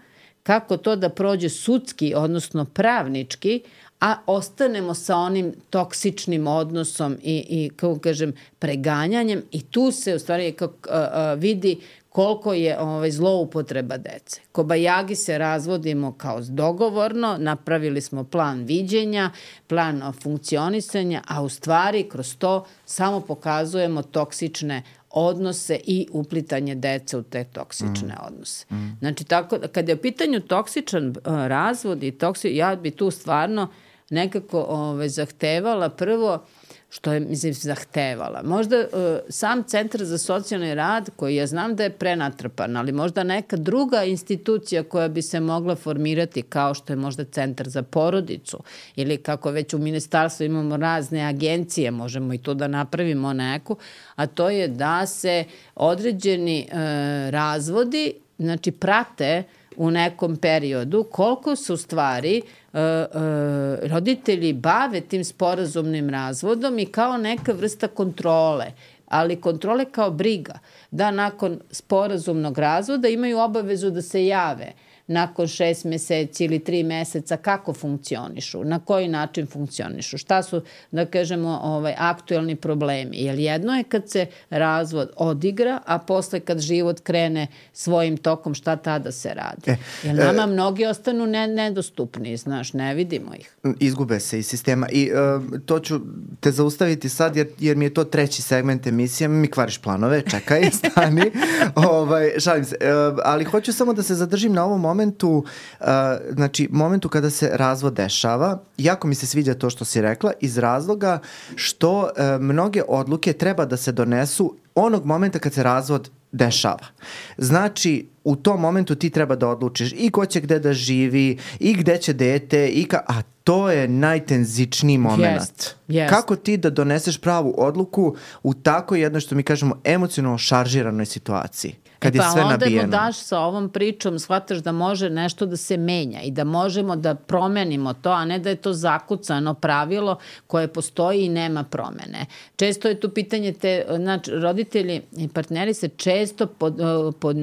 [SPEAKER 3] kako to da prođe sudski, odnosno pravnički, a ostanemo sa onim toksičnim odnosom i, i kako kažem, preganjanjem i tu se u stvari kako, a, a, vidi koliko je ovaj, zloupotreba dece. Kobajagi se razvodimo kao dogovorno, napravili smo plan viđenja, plan funkcionisanja, a u stvari kroz to samo pokazujemo toksične odnose i uplitanje dece u te toksične mm. odnose. Mm. Znači, tako, kada je u pitanju toksičan uh, razvod i toksi, ja bi tu stvarno nekako ove, zahtevala prvo, što je, mislim, zahtevala. Možda uh, sam Centar za socijalni rad, koji ja znam da je prenatrpan, ali možda neka druga institucija koja bi se mogla formirati, kao što je možda Centar za porodicu, ili kako već u ministarstvu imamo razne agencije, možemo i to da napravimo neku, a to je da se određeni uh, razvodi, znači, prate u nekom periodu, koliko se u stvari uh, uh, roditelji bave tim sporazumnim razvodom i kao neka vrsta kontrole, ali kontrole kao briga, da nakon sporazumnog razvoda imaju obavezu da se jave nakon šest meseci ili tri meseca kako funkcionišu, na koji način funkcionišu, šta su, da kažemo, ovaj, aktuelni problemi. Jer jedno je kad se razvod odigra, a posle kad život krene svojim tokom, šta tada se radi. E, Jer nama e, mnogi ostanu ne, nedostupni, znaš, ne vidimo ih.
[SPEAKER 2] Izgube se iz sistema i uh, to ću te zaustaviti sad jer, jer mi je to treći segment emisije, mi kvariš planove, čekaj, stani, ovaj, šalim se, uh, ali hoću samo da se zadržim na ovom momentu momentu, uh, znači momentu kada se razvod dešava, jako mi se sviđa to što si rekla, iz razloga što uh, mnoge odluke treba da se donesu onog momenta kad se razvod dešava. Znači, u tom momentu ti treba da odlučiš i ko će gde da živi, i gde će dete, i ka... a to je najtenzičniji moment.
[SPEAKER 3] Yes, yes.
[SPEAKER 2] Kako ti da doneseš pravu odluku u tako jednoj, što mi kažemo, emocionalno šaržiranoj situaciji? Kad
[SPEAKER 3] e pa
[SPEAKER 2] je sve
[SPEAKER 3] onda
[SPEAKER 2] nabijeno.
[SPEAKER 3] mu daš sa ovom pričom, shvataš da može nešto da se menja i da možemo da promenimo to, a ne da je to zakucano pravilo koje postoji i nema promene. Često je tu pitanje, te, znači, roditelji i partneri se često pod, pod,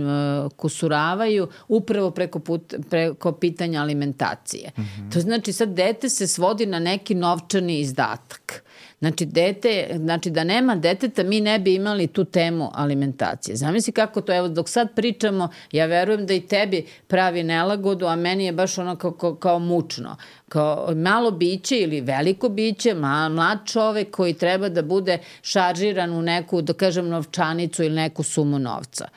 [SPEAKER 3] kusuravaju upravo preko, put, preko pitanja alimentacije. Mm-hmm. To znači sad dete se svodi na neki novčani izdatak. Znači, dete, znači da nema deteta, mi ne bi imali tu temu alimentacije. Zamisli kako to, evo, dok sad pričamo, ja verujem da i tebi pravi nelagodu, a meni je baš ono kao, kao, kao mučno. Kao malo biće ili veliko biće, ma, mlad čovek koji treba da bude šaržiran u neku, da kažem, novčanicu ili neku sumu novca.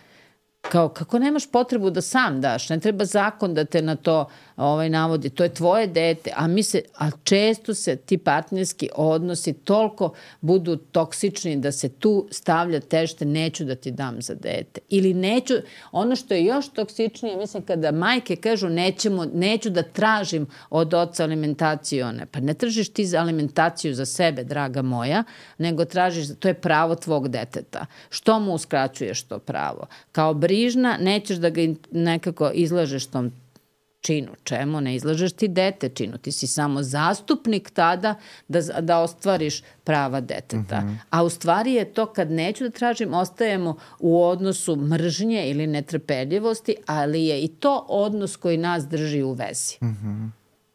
[SPEAKER 3] Kao, kako nemaš potrebu da sam daš, ne treba zakon da te na to ovaj, navodi, to je tvoje dete, a mi se, a često se ti partnerski odnosi toliko budu toksični da se tu stavlja tešte, neću da ti dam za dete. Ili neću, ono što je još toksičnije, mislim, kada majke kažu nećemo, neću da tražim od oca alimentaciju, one, pa ne tražiš ti za alimentaciju za sebe, draga moja, nego tražiš, to je pravo tvog deteta. Što mu uskraćuješ to pravo? Kao brižna, nećeš da ga nekako izlažeš tom činu. Čemu? Ne izlažeš ti dete činu. Ti si samo zastupnik tada da, da ostvariš prava deteta. Mm-hmm. A u stvari je to kad neću da tražim, ostajemo u odnosu mržnje ili netrpeljivosti, ali je i to odnos koji nas drži u vezi. Mm-hmm.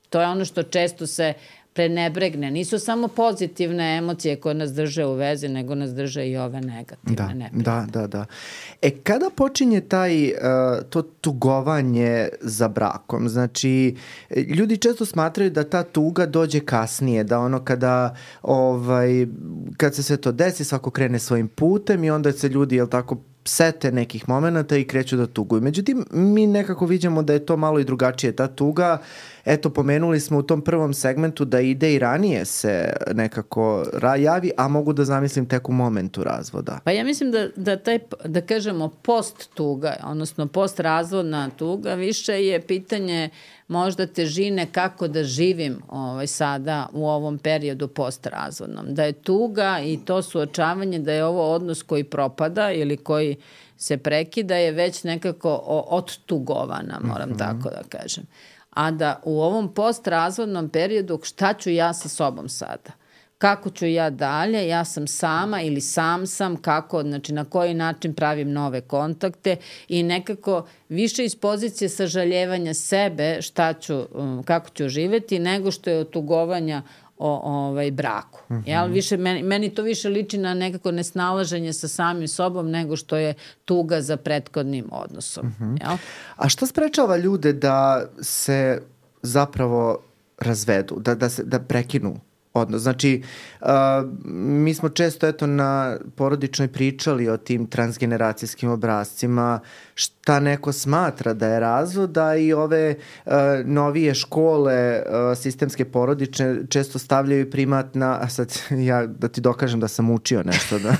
[SPEAKER 3] To je ono što često se prenebregne. Nisu samo pozitivne emocije koje nas drže u vezi, nego nas drže i ove negativne.
[SPEAKER 2] Da,
[SPEAKER 3] neprijatne.
[SPEAKER 2] da, da, da. E, kada počinje taj, uh, to tugovanje za brakom? Znači, ljudi često smatraju da ta tuga dođe kasnije, da ono kada, ovaj, kad se sve to desi, svako krene svojim putem i onda se ljudi, jel tako, sete nekih momenta i kreću da tuguju. Međutim, mi nekako vidimo da je to malo i drugačije. Ta tuga, eto, pomenuli smo u tom prvom segmentu da ide i ranije se nekako javi, a mogu da zamislim tek u momentu razvoda.
[SPEAKER 3] Pa ja mislim da, da taj, da kažemo, post tuga, odnosno post razvodna tuga, više je pitanje možda težine kako da živim ovaj, sada u ovom periodu postrazvodnom. Da je tuga i to suočavanje da je ovo odnos koji propada ili koji se prekida je već nekako odtugovana, moram mm-hmm. tako da kažem. A da u ovom postrazvodnom periodu šta ću ja sa sobom sada? Kako ću ja dalje, ja sam sama ili sam sam, kako, znači na koji način pravim nove kontakte i nekako više iz pozicije sažaljevanja sebe šta ću, kako ću živeti, nego što je otugovanja o ovaj, braku. Mm-hmm. Jel? Više, meni, meni to više liči na nekako nesnalaženje sa samim sobom nego što je tuga za prethodnim odnosom. Mm-hmm. Jel?
[SPEAKER 2] A šta sprečava ljude da se zapravo razvedu, da, da, se, da prekinu odnos? Znači, uh, mi smo često eto na porodičnoj pričali o tim transgeneracijskim obrascima, šta neko smatra da je razvod, da i ove uh, novije škole uh, sistemske porodične često stavljaju primat na, a sad ja da ti dokažem da sam učio nešto, da,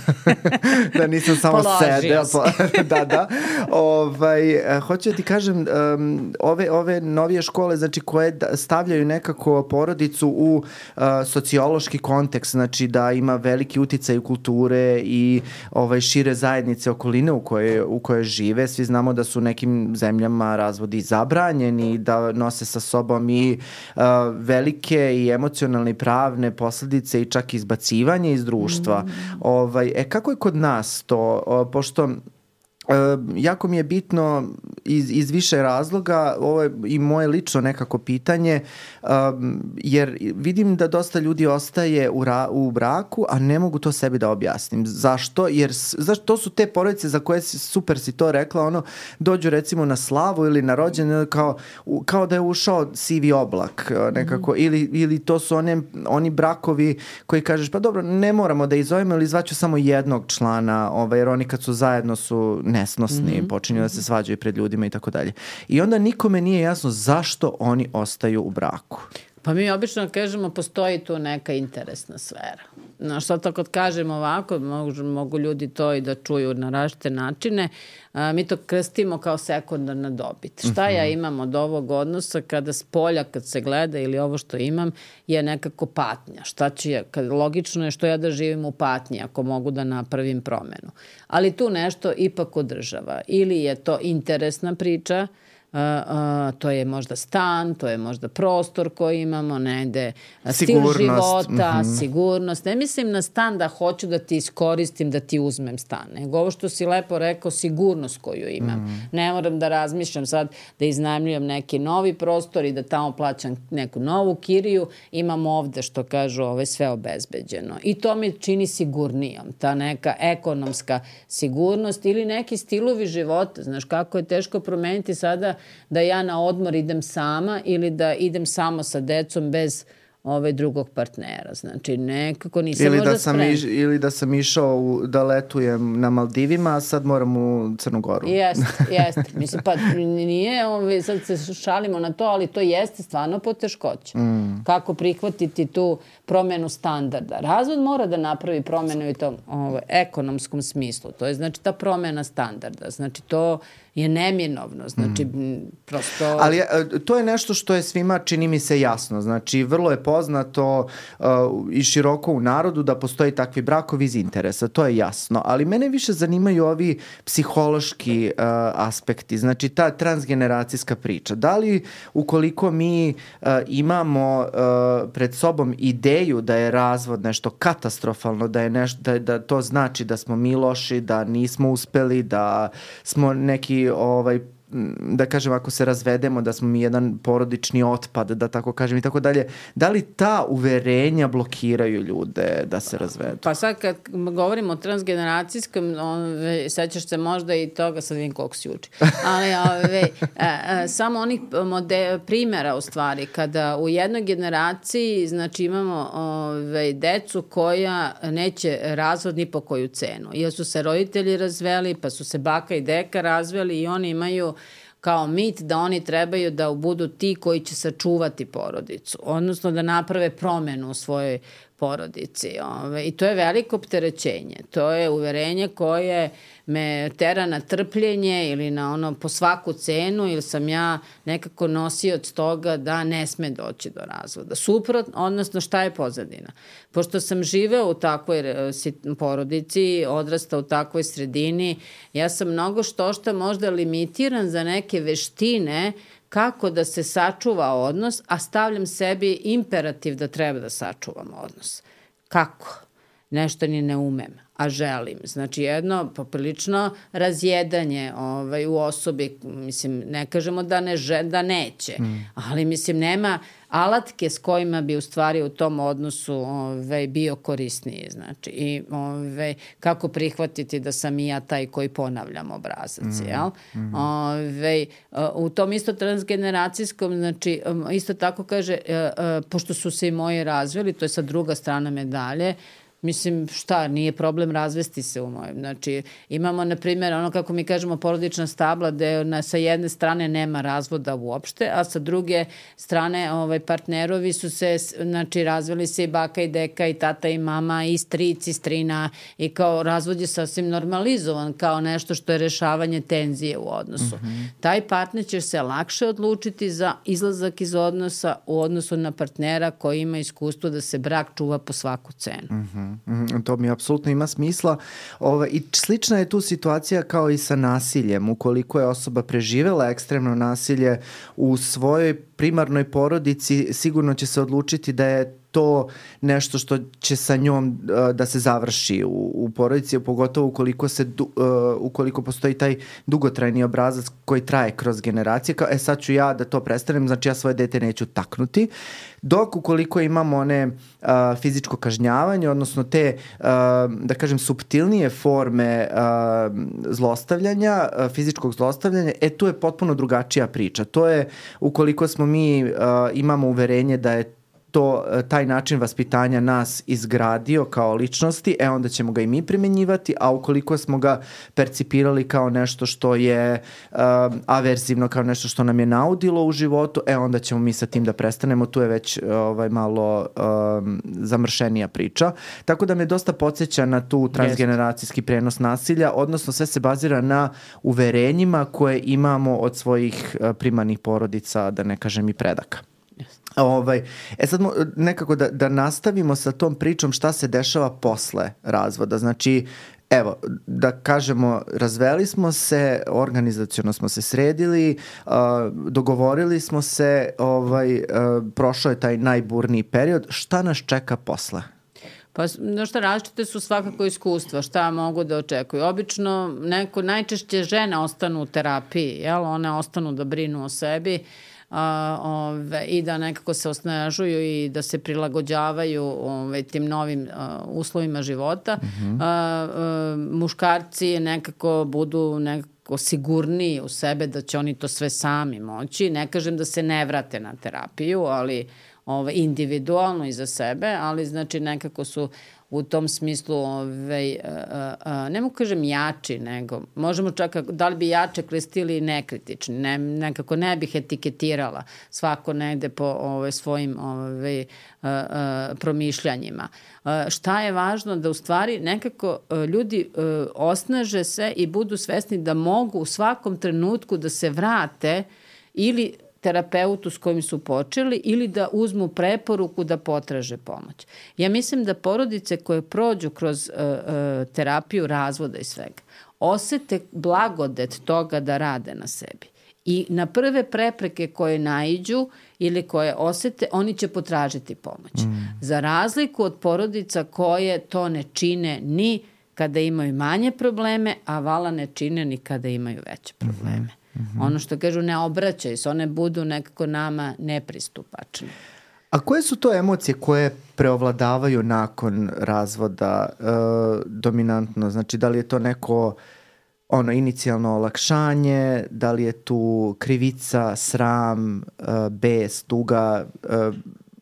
[SPEAKER 2] da nisam samo sedeo. Po, da, da. Ovaj, uh, hoću da ti kažem, um, ove, ove novije škole, znači koje stavljaju nekako porodicu u uh, sociološki kontekst, znači da ima veliki uticaj u kulture i ovaj, šire zajednice okoline u kojoj, u kojoj žive. Svi znamo da su u nekim zemljama razvodi zabranjeni, da nose sa sobom i uh, velike i emocionalne i pravne posledice i čak izbacivanje iz društva. Mm. Ovaj, e, kako je kod nas to? O, pošto Uh, jako mi je bitno iz, iz više razloga, ovo je i moje lično nekako pitanje, um, jer vidim da dosta ljudi ostaje u, ra, u braku, a ne mogu to sebi da objasnim. Zašto? Jer zašto, to su te porodice za koje si, super si to rekla, ono, dođu recimo na slavu ili na rođendan kao, kao da je ušao sivi oblak nekako, mm. ili, ili to su one, oni brakovi koji kažeš, pa dobro, ne moramo da izovemo ili zvaću samo jednog člana, ovaj, jer oni kad su zajedno su nesnosni, mm-hmm. počinju da se svađaju pred ljudima i tako dalje. I onda nikome nije jasno zašto oni ostaju u braku.
[SPEAKER 3] Pa mi obično kažemo postoji tu neka interesna sfera. No, što to kad kažemo ovako, mogu, mogu ljudi to i da čuju na različite načine, a, mi to krstimo kao sekundarna dobit. Šta mm-hmm. ja imam od ovog odnosa kada s polja, kad se gleda ili ovo što imam je nekako patnja. Šta ću ja, kad, logično je što ja da živim u patnji ako mogu da napravim promenu. Ali tu nešto ipak održava. Ili je to interesna priča, Uh, uh, to je možda stan, to je možda prostor koji imamo, negde stil života, mm-hmm. sigurnost. Ne mislim na stan da hoću da ti iskoristim, da ti uzmem stan, nego ovo što si lepo rekao, sigurnost koju imam. Mm-hmm. Ne moram da razmišljam sad da iznajmljujem neki novi prostor i da tamo plaćam neku novu kiriju, imam ovde što kažu ovo je sve obezbeđeno. I to mi čini sigurnijom, ta neka ekonomska sigurnost ili neki stilovi života. Znaš kako je teško promeniti sada da ja na odmor idem sama ili da idem samo sa decom bez ovaj drugog partnera. Znači, nekako nisam ili možda da sam iš,
[SPEAKER 2] ili da sam išao u, da letujem na Maldivima, a sad moram u Crnu Goru.
[SPEAKER 3] Jeste, jeste. Mislim, pa nije, ovaj, sad se šalimo na to, ali to jeste stvarno poteškoće. Mm. Kako prihvatiti tu promenu standarda. Razvod mora da napravi promenu i tom ovaj, ekonomskom smislu. To je znači ta promena standarda. Znači, to je neminovno, znači mm. prosto...
[SPEAKER 2] Ali to je nešto što je svima, čini mi se, jasno. Znači, vrlo je poznato uh, i široko u narodu da postoji takvi brakovi iz interesa, to je jasno. Ali mene više zanimaju ovi psihološki uh, aspekti, znači ta transgeneracijska priča. Da li ukoliko mi uh, imamo uh, pred sobom ideju da je razvod nešto katastrofalno, da je nešto, da, da to znači da smo mi loši, da nismo uspeli, da smo neki ovaj da kažem, ako se razvedemo, da smo mi jedan porodični otpad, da tako kažem i tako dalje. Da li ta uverenja blokiraju ljude da se razvedu?
[SPEAKER 3] Pa sad kad govorimo o transgeneracijskom, ove, sećaš se možda i toga, sad vidim koliko si uči, ali ove, a, a, samo onih mode, primjera u stvari, kada u jednoj generaciji znači imamo ove, decu koja neće razvod ni po koju cenu. Jer su se roditelji razveli, pa su se baka i deka razveli i oni imaju kao mit da oni trebaju da budu ti koji će sačuvati porodicu, odnosno da naprave promenu u svojoj porodici. Ove, I to je veliko opterećenje. To je uverenje koje me tera na trpljenje ili na ono po svaku cenu ili sam ja nekako nosioc toga da ne sme doći do razvoda. Suprotno, odnosno šta je pozadina? Pošto sam živeo u takvoj porodici, odrastao u takvoj sredini, ja sam mnogo što šta možda limitiran za neke veštine kako da se sačuva odnos, a stavljam sebi imperativ da treba da sačuvam odnos. Kako? Nešto ni ne umem, a želim. Znači jedno poprilično razjedanje ovaj, u osobi, mislim, ne kažemo da, ne že, da neće, mm. ali mislim nema alatke s kojima bi u stvari u tom odnosu ovaj, bio korisniji. Znači, i ovaj, kako prihvatiti da sam i ja taj koji ponavljam obrazac, mm. jel? Mm. Ovaj, u tom isto transgeneracijskom, znači, isto tako kaže, pošto su se i moji razveli, to je sad druga strana medalje, Mislim, šta, nije problem razvesti se u mojem. Znači, imamo, na primjer, ono kako mi kažemo porodična stabla, gde na, sa jedne strane nema razvoda uopšte, a sa druge strane ovaj, partnerovi su se, znači, razveli se i baka i deka i tata i mama i stric i strina i kao razvod je sasvim normalizovan kao nešto što je rešavanje tenzije u odnosu. Mm-hmm. Taj partner će se lakše odlučiti za izlazak iz odnosa u odnosu na partnera koji ima iskustvo da se brak čuva po svaku cenu.
[SPEAKER 2] Mm-hmm. Mm, to mi apsolutno ima smisla. Ove, I slična je tu situacija kao i sa nasiljem. Ukoliko je osoba preživela ekstremno nasilje u svojoj primarnoj porodici, sigurno će se odlučiti da je to nešto što će sa njom uh, da se završi u, u porodici, pogotovo ukoliko, se, uh, ukoliko postoji taj dugotrajni obrazac koji traje kroz generacije. Kao, e sad ću ja da to prestanem, znači ja svoje dete neću taknuti. Dok ukoliko imamo one uh, fizičko kažnjavanje, odnosno te, uh, da kažem, suptilnije forme uh, zlostavljanja, uh, fizičkog zlostavljanja, e tu je potpuno drugačija priča. To je ukoliko smo mi uh, imamo uverenje da je to, taj način vaspitanja nas izgradio kao ličnosti, e onda ćemo ga i mi primenjivati, a ukoliko smo ga percipirali kao nešto što je uh, averzivno, kao nešto što nam je naudilo u životu, e onda ćemo mi sa tim da prestanemo, tu je već ovaj, malo um, zamršenija priča. Tako da me dosta podsjeća na tu transgeneracijski prenos nasilja, odnosno sve se bazira na uverenjima koje imamo od svojih uh, primarnih porodica, da ne kažem i predaka. Ovaj, e sad nekako da, da nastavimo sa tom pričom šta se dešava posle razvoda. Znači, evo, da kažemo, razveli smo se, organizaciono smo se sredili, uh, dogovorili smo se, ovaj, uh, prošao je taj najburniji period. Šta nas čeka posle?
[SPEAKER 3] Pa, no šta, različite su svakako iskustva, šta mogu da očekuju. Obično, neko, najčešće žene ostanu u terapiji, jel? One ostanu da brinu o sebi, Uh, ove, i da nekako se osnažuju i da se prilagođavaju ove, tim novim uh, uslovima života. Mm-hmm. Uh, uh, muškarci nekako budu nekako sigurniji u sebe da će oni to sve sami moći. Ne kažem da se ne vrate na terapiju, ali ove, individualno i za sebe, ali znači nekako su u tom smislu, ovaj, a, a, ne mogu kažem jači, nego možemo čak, da li bi jače kristili i nekritični, ne, nekako ne bih etiketirala svako negde po ovaj, svojim ovaj, a, a, promišljanjima. A, šta je važno? Da u stvari nekako a, ljudi a, osnaže se i budu svesni da mogu u svakom trenutku da se vrate ili terapeutu s kojim su počeli ili da uzmu preporuku da potraže pomoć. Ja mislim da porodice koje prođu kroz uh, uh, terapiju razvoda i svega, osete blagodet toga da rade na sebi. I na prve prepreke koje naiđu ili koje osete, oni će potražiti pomoć. Mm. Za razliku od porodica koje to ne čine ni kada imaju manje probleme, a vala ne čine ni kada imaju veće probleme. Mm-hmm. Mm-hmm. Ono što kažu, ne obraćaju se, one budu nekako nama nepristupačne.
[SPEAKER 2] A koje su to emocije koje preovladavaju nakon razvoda e, dominantno? Znači, da li je to neko ono inicijalno olakšanje, da li je tu krivica, sram, e, bes, tuga? E,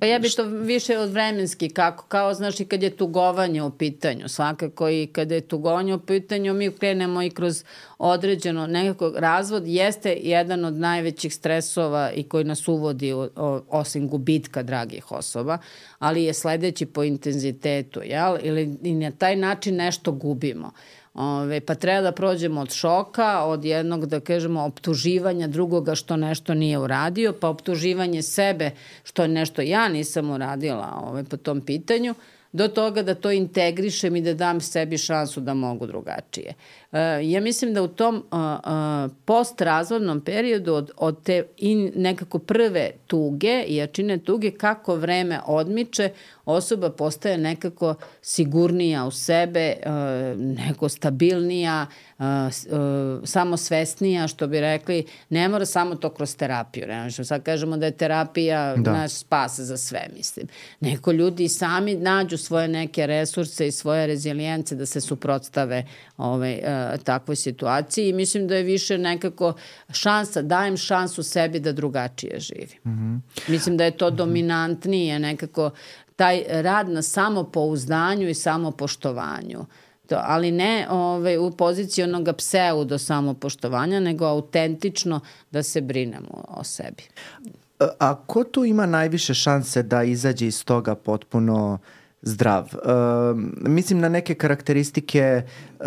[SPEAKER 3] Pa ja bi to više od vremenski, kako, kao znaš i kad je tugovanje u pitanju, svakako i kada je tugovanje u pitanju, mi krenemo i kroz određeno nekako razvod, jeste jedan od najvećih stresova i koji nas uvodi o, o, osim gubitka dragih osoba, ali je sledeći po intenzitetu, jel? Ili i na taj način nešto gubimo. Ove, pa treba da prođemo od šoka, od jednog, da kažemo, optuživanja drugoga što nešto nije uradio, pa optuživanje sebe što nešto ja nisam uradila ove, po tom pitanju, do toga da to integrišem i da dam sebi šansu da mogu drugačije. E, ja mislim da u tom a, a, postrazvodnom periodu od, od te in, nekako prve tuge i jačine tuge, kako vreme odmiče, osoba postaje nekako sigurnija u sebe, a, neko stabilnija, a, a, samosvesnija, što bi rekli, ne mora samo to kroz terapiju. Ne možemo sad kažemo da je terapija da. naš spas za sve, mislim. Neko ljudi sami nađu svoje neke resurse i svoje rezilijence da se suprotstave ovaj, takvoj situaciji i mislim da je više nekako šansa, dajem šansu sebi da drugačije živim. Mm-hmm. Mislim da je to dominantnije nekako taj rad na samopouzdanju i samopoštovanju. To, ali ne ovaj, u poziciji onoga pseudo samopoštovanja, nego autentično da se brinemo o sebi.
[SPEAKER 2] A ko tu ima najviše šanse da izađe iz toga potpuno zdrav? Uh, mislim na neke karakteristike uh,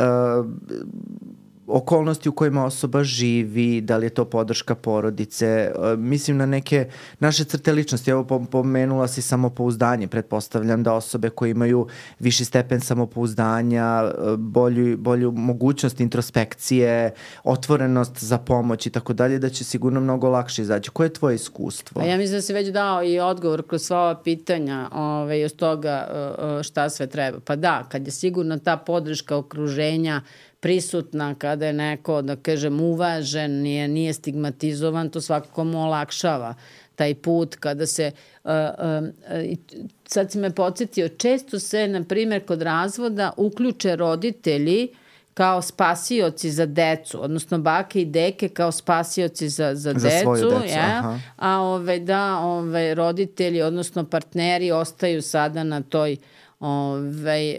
[SPEAKER 2] okolnosti u kojima osoba živi, da li je to podrška porodice, uh, mislim na neke naše crte ličnosti. Evo, pomenula si samopouzdanje. Pretpostavljam da osobe koje imaju viši stepen samopouzdanja, uh, bolju, bolju mogućnost introspekcije, otvorenost za pomoć i tako dalje, da će sigurno mnogo lakše izaći. Koje je tvoje iskustvo?
[SPEAKER 3] A ja mislim da si već dao i odgovor kroz sva ova pitanja ovaj, od toga uh, šta sve treba. Pa da, kad je sigurno ta podrška okruženja prisutna, kada je neko, da kažem, uvažen, nije, nije stigmatizovan, to svakako mu olakšava taj put kada se, uh, uh, sad si me podsjetio, često se, na primjer, kod razvoda uključe roditelji kao spasioci za decu, odnosno bake i deke kao spasioci za, za, za decu,
[SPEAKER 2] decu
[SPEAKER 3] ja? A ove, da ove, roditelji, odnosno partneri ostaju sada na toj Ove,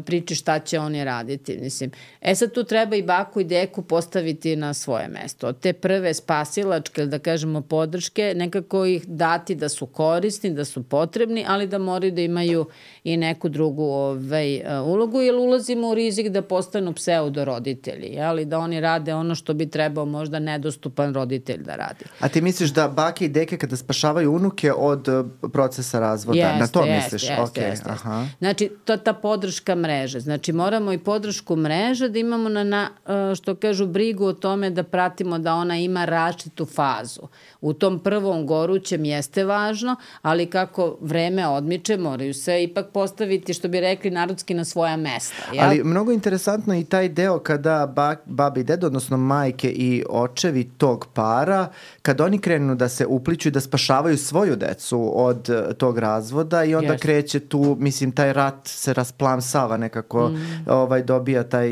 [SPEAKER 3] priči šta će oni raditi. Mislim. E sad tu treba i baku i deku postaviti na svoje mesto. Od te prve spasilačke, da kažemo, podrške, nekako ih dati da su korisni, da su potrebni, ali da moraju da imaju i neku drugu ove, ulogu, jer ulazimo u rizik da postanu pseudo roditelji, ali da oni rade ono što bi trebao možda nedostupan roditelj da radi.
[SPEAKER 2] A ti misliš da bake i deke kada spašavaju unuke od procesa razvoda,
[SPEAKER 3] jeste,
[SPEAKER 2] na to
[SPEAKER 3] jeste,
[SPEAKER 2] misliš?
[SPEAKER 3] Jeste,
[SPEAKER 2] okay.
[SPEAKER 3] jeste,
[SPEAKER 2] Aha.
[SPEAKER 3] Znači, to ta podrška mreže. Znači, moramo i podršku mreže da imamo na, na, što kažu, brigu o tome da pratimo da ona ima različitu fazu. U tom prvom gorućem jeste važno, ali kako vreme odmiče, moraju se ipak postaviti, što bi rekli narodski, na svoja mesta. Jel?
[SPEAKER 2] Ali mnogo interesantno i taj deo kada ba, babi i dedo, odnosno majke i očevi tog para, kada oni krenu da se upliću i da spašavaju svoju decu od tog razvoda i onda yes. kreće tu, mislim, taj rat se rasplamsava nekako, mm. ovaj, dobija taj,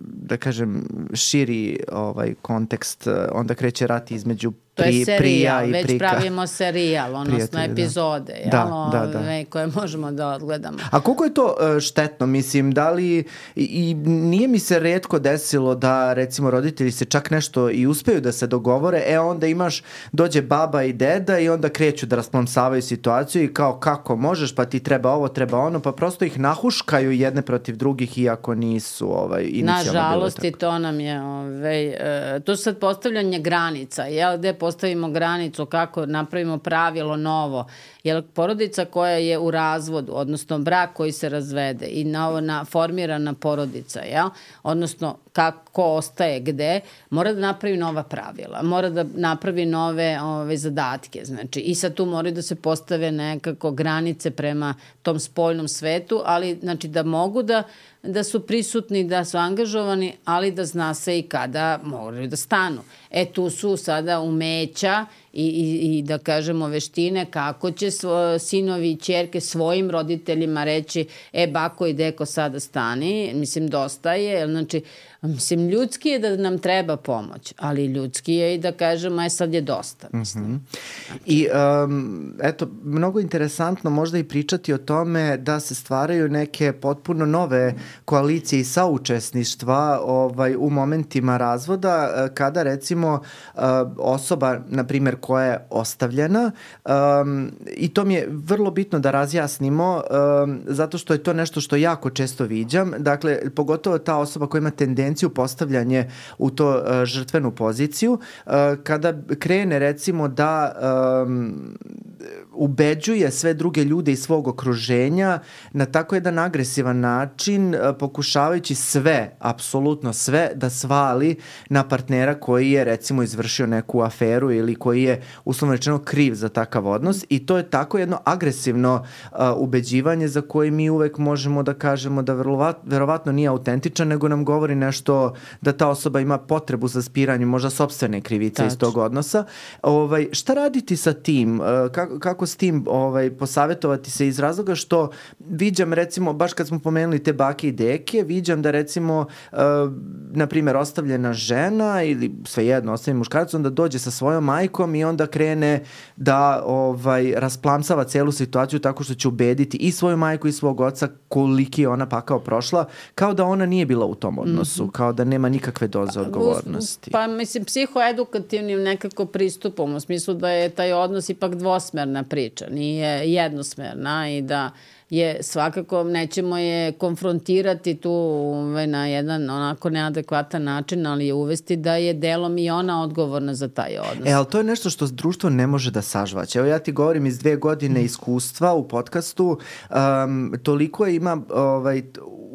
[SPEAKER 2] da kažem, širi ovaj kontekst, onda kreće rat između
[SPEAKER 3] To je
[SPEAKER 2] Pri,
[SPEAKER 3] serijal,
[SPEAKER 2] prija i
[SPEAKER 3] već
[SPEAKER 2] prika.
[SPEAKER 3] pravimo serijal, odnosno epizode, jel,
[SPEAKER 2] da, da, da.
[SPEAKER 3] Ove, koje možemo da odgledamo.
[SPEAKER 2] A koliko je to uh, štetno, mislim, da li, i, i nije mi se retko desilo da, recimo, roditelji se čak nešto i uspeju da se dogovore, e onda imaš, dođe baba i deda i onda kreću da rasplamsavaju situaciju i kao kako možeš, pa ti treba ovo, treba ono, pa prosto ih nahuškaju jedne protiv drugih iako nisu ovaj, inicijalno bilo tako.
[SPEAKER 3] Nažalost, i to nam je, ovaj, uh, to su sad postavljanje granica, jel, gde postavimo granicu, kako napravimo pravilo novo. Jer porodica koja je u razvodu, odnosno brak koji se razvede i na formirana porodica, jel? Odnosno kako ostaje gde, mora da napravi nova pravila, mora da napravi nove ove, zadatke. Znači, i sad tu moraju da se postave nekako granice prema tom spoljnom svetu, ali znači da mogu da da su prisutni, da su angažovani, ali da zna se i kada moraju da stanu. E, tu su sada umeća i, i, i da kažemo veštine kako će svo, sinovi i ćerke svojim roditeljima reći, e, bako i deko sada stani, mislim, dosta je, znači, mislim, ljudski je da nam treba pomoć, ali ljudski je i da kažemo, e, sad je dosta, mislim. Mm-hmm.
[SPEAKER 2] I, um, eto, mnogo interesantno možda i pričati o tome da se stvaraju neke potpuno nove koalicije i saučesništva ovaj, u momentima razvoda, kada, recimo, osoba, na primjer, koja je ostavljena, um, i to mi je vrlo bitno da razjasnimo, um, zato što je to nešto što jako često viđam, dakle, pogotovo ta osoba koja ima tendenciju postavljanje u to uh, žrtvenu poziciju, uh, kada krene, recimo, da um, ubeđuje sve druge ljude iz svog okruženja na tako jedan agresivan način, uh, pokušavajući sve, apsolutno sve, da svali na partnera koji je, recimo, izvršio neku aferu ili koji je, uslovno rečeno, kriv za takav odnos, i to je tako jedno agresivno uh, ubeđivanje za koje mi uvek možemo da kažemo da verovat, verovatno nije autentičan, nego nam govori nešto da ta osoba ima potrebu za spiranjem možda sopstvene krivice Tač. iz tog odnosa. Ovaj, šta raditi sa tim? Uh, kako, kako kako s tim ovaj, posavetovati se iz razloga što viđam recimo, baš kad smo pomenuli te bake i deke, viđam da recimo uh, na primjer ostavljena žena ili svejedno ostavljen muškarac, onda dođe sa svojom majkom i onda krene da ovaj, rasplamsava celu situaciju tako što će ubediti i svoju majku i svog oca koliki je ona pakao prošla, kao da ona nije bila u tom odnosu, mm-hmm. kao da nema nikakve doze odgovornosti.
[SPEAKER 3] Pa mislim, psihoedukativnim nekako pristupom, u smislu da je taj odnos ipak dvosmerna priča, nije jednosmerna i da je svakako nećemo je konfrontirati tu ovaj, na jedan onako neadekvatan način, ali je uvesti da je delom i ona odgovorna za taj odnos.
[SPEAKER 2] E, ali to je nešto što društvo ne može da sažvaće. Evo ja ti govorim iz dve godine iskustva u podcastu, um, toliko je ima ovaj,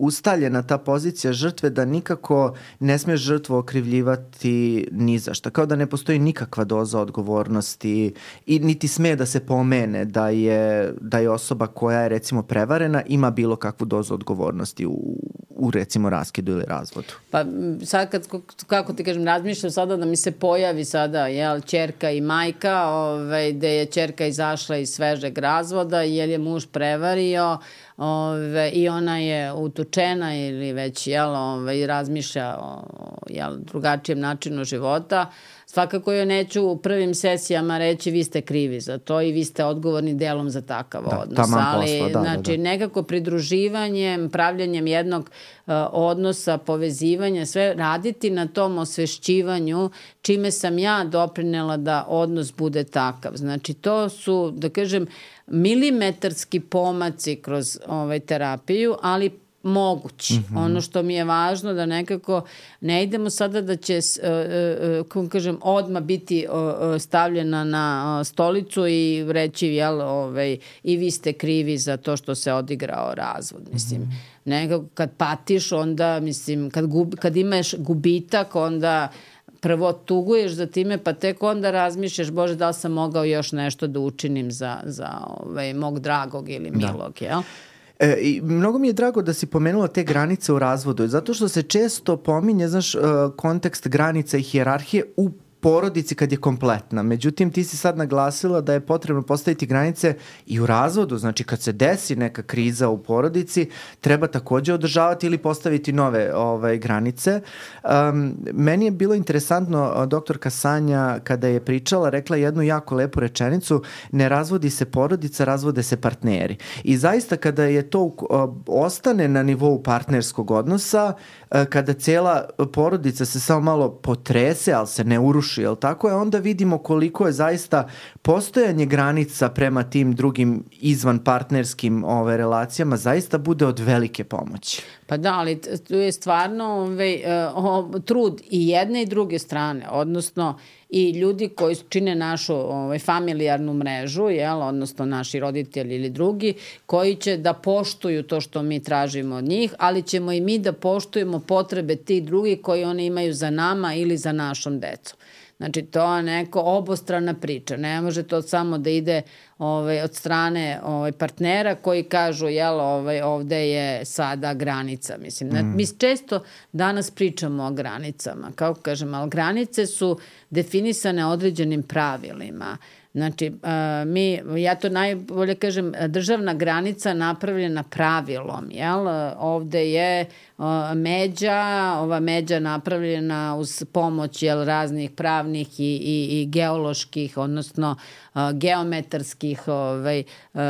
[SPEAKER 2] ustaljena ta pozicija žrtve da nikako ne smije žrtvu okrivljivati ni za šta. Kao da ne postoji nikakva doza odgovornosti i niti sme da se pomene da je, da je osoba koja je recimo prevarena ima bilo kakvu dozu odgovornosti u, u recimo raskidu ili razvodu.
[SPEAKER 3] Pa sad kad, kako ti kažem, razmišljam sada da mi se pojavi sada jel, ćerka i majka, ovaj, gde je ćerka izašla iz svežeg razvoda jer je muž prevario, Ove, i ona je utučena ili već jel, ove, razmišlja o jel, drugačijem načinu života. Svakako joj neću u prvim sesijama reći vi ste krivi za to i vi ste odgovorni delom za takav
[SPEAKER 2] da,
[SPEAKER 3] odnos. Ali
[SPEAKER 2] posla, da,
[SPEAKER 3] znači,
[SPEAKER 2] da, da.
[SPEAKER 3] nekako pridruživanjem, pravljanjem jednog uh, odnosa, povezivanja, sve raditi na tom osvešćivanju čime sam ja doprinela da odnos bude takav. Znači, to su, da kažem, milimetarski pomaci kroz ovaj, terapiju, ali mogući. Mm-hmm. Ono što mi je važno da nekako ne idemo sada da će uh, uh, kako kažem, odmah biti uh, stavljena na uh, stolicu i reći jel, ovaj, i vi ste krivi za to što se odigrao razvod. Mislim, mm-hmm. nekako kad patiš onda, mislim, kad, gub, kad imaš gubitak onda prvo tuguješ za time, pa tek onda razmišljaš, Bože, da li sam mogao još nešto da učinim za, za ovaj, mog dragog ili milog, da. Jel?
[SPEAKER 2] E, i mnogo mi je drago da si pomenula te granice u razvodu, zato što se često pominje, znaš, kontekst granica i hijerarhije u porodici kad je kompletna. Međutim, ti si sad naglasila da je potrebno postaviti granice i u razvodu. Znači, kad se desi neka kriza u porodici, treba takođe održavati ili postaviti nove ovaj, granice. Um, meni je bilo interesantno, doktorka Sanja, kada je pričala, rekla jednu jako lepu rečenicu, ne razvodi se porodica, razvode se partneri. I zaista, kada je to uh, ostane na nivou partnerskog odnosa, uh, kada cela porodica se samo malo potrese, ali se ne uruši, jel tako je, onda vidimo koliko je zaista postojanje granica prema tim drugim izvan partnerskim ove, relacijama zaista bude od velike pomoći.
[SPEAKER 3] Pa da, ali tu je stvarno ove, o, trud i jedne i druge strane, odnosno i ljudi koji čine našu ovaj, familijarnu mrežu, jel, odnosno naši roditelji ili drugi, koji će da poštuju to što mi tražimo od njih, ali ćemo i mi da poštujemo potrebe tih drugih koji oni imaju za nama ili za našom decom. Znači, to je neko obostrana priča. Ne može to samo da ide ovaj, od strane ovaj, partnera koji kažu, jel, ovaj, ovde je sada granica. Mislim, mm. mi često danas pričamo o granicama. Kao kažem, ali granice su definisane određenim pravilima. Znači, uh, mi, ja to najbolje kažem, državna granica napravljena pravilom, jel? Ovde je uh, međa, ova međa napravljena uz pomoć, jel, raznih pravnih i, i, i geoloških, odnosno uh, geometarskih ovaj, uh, uh,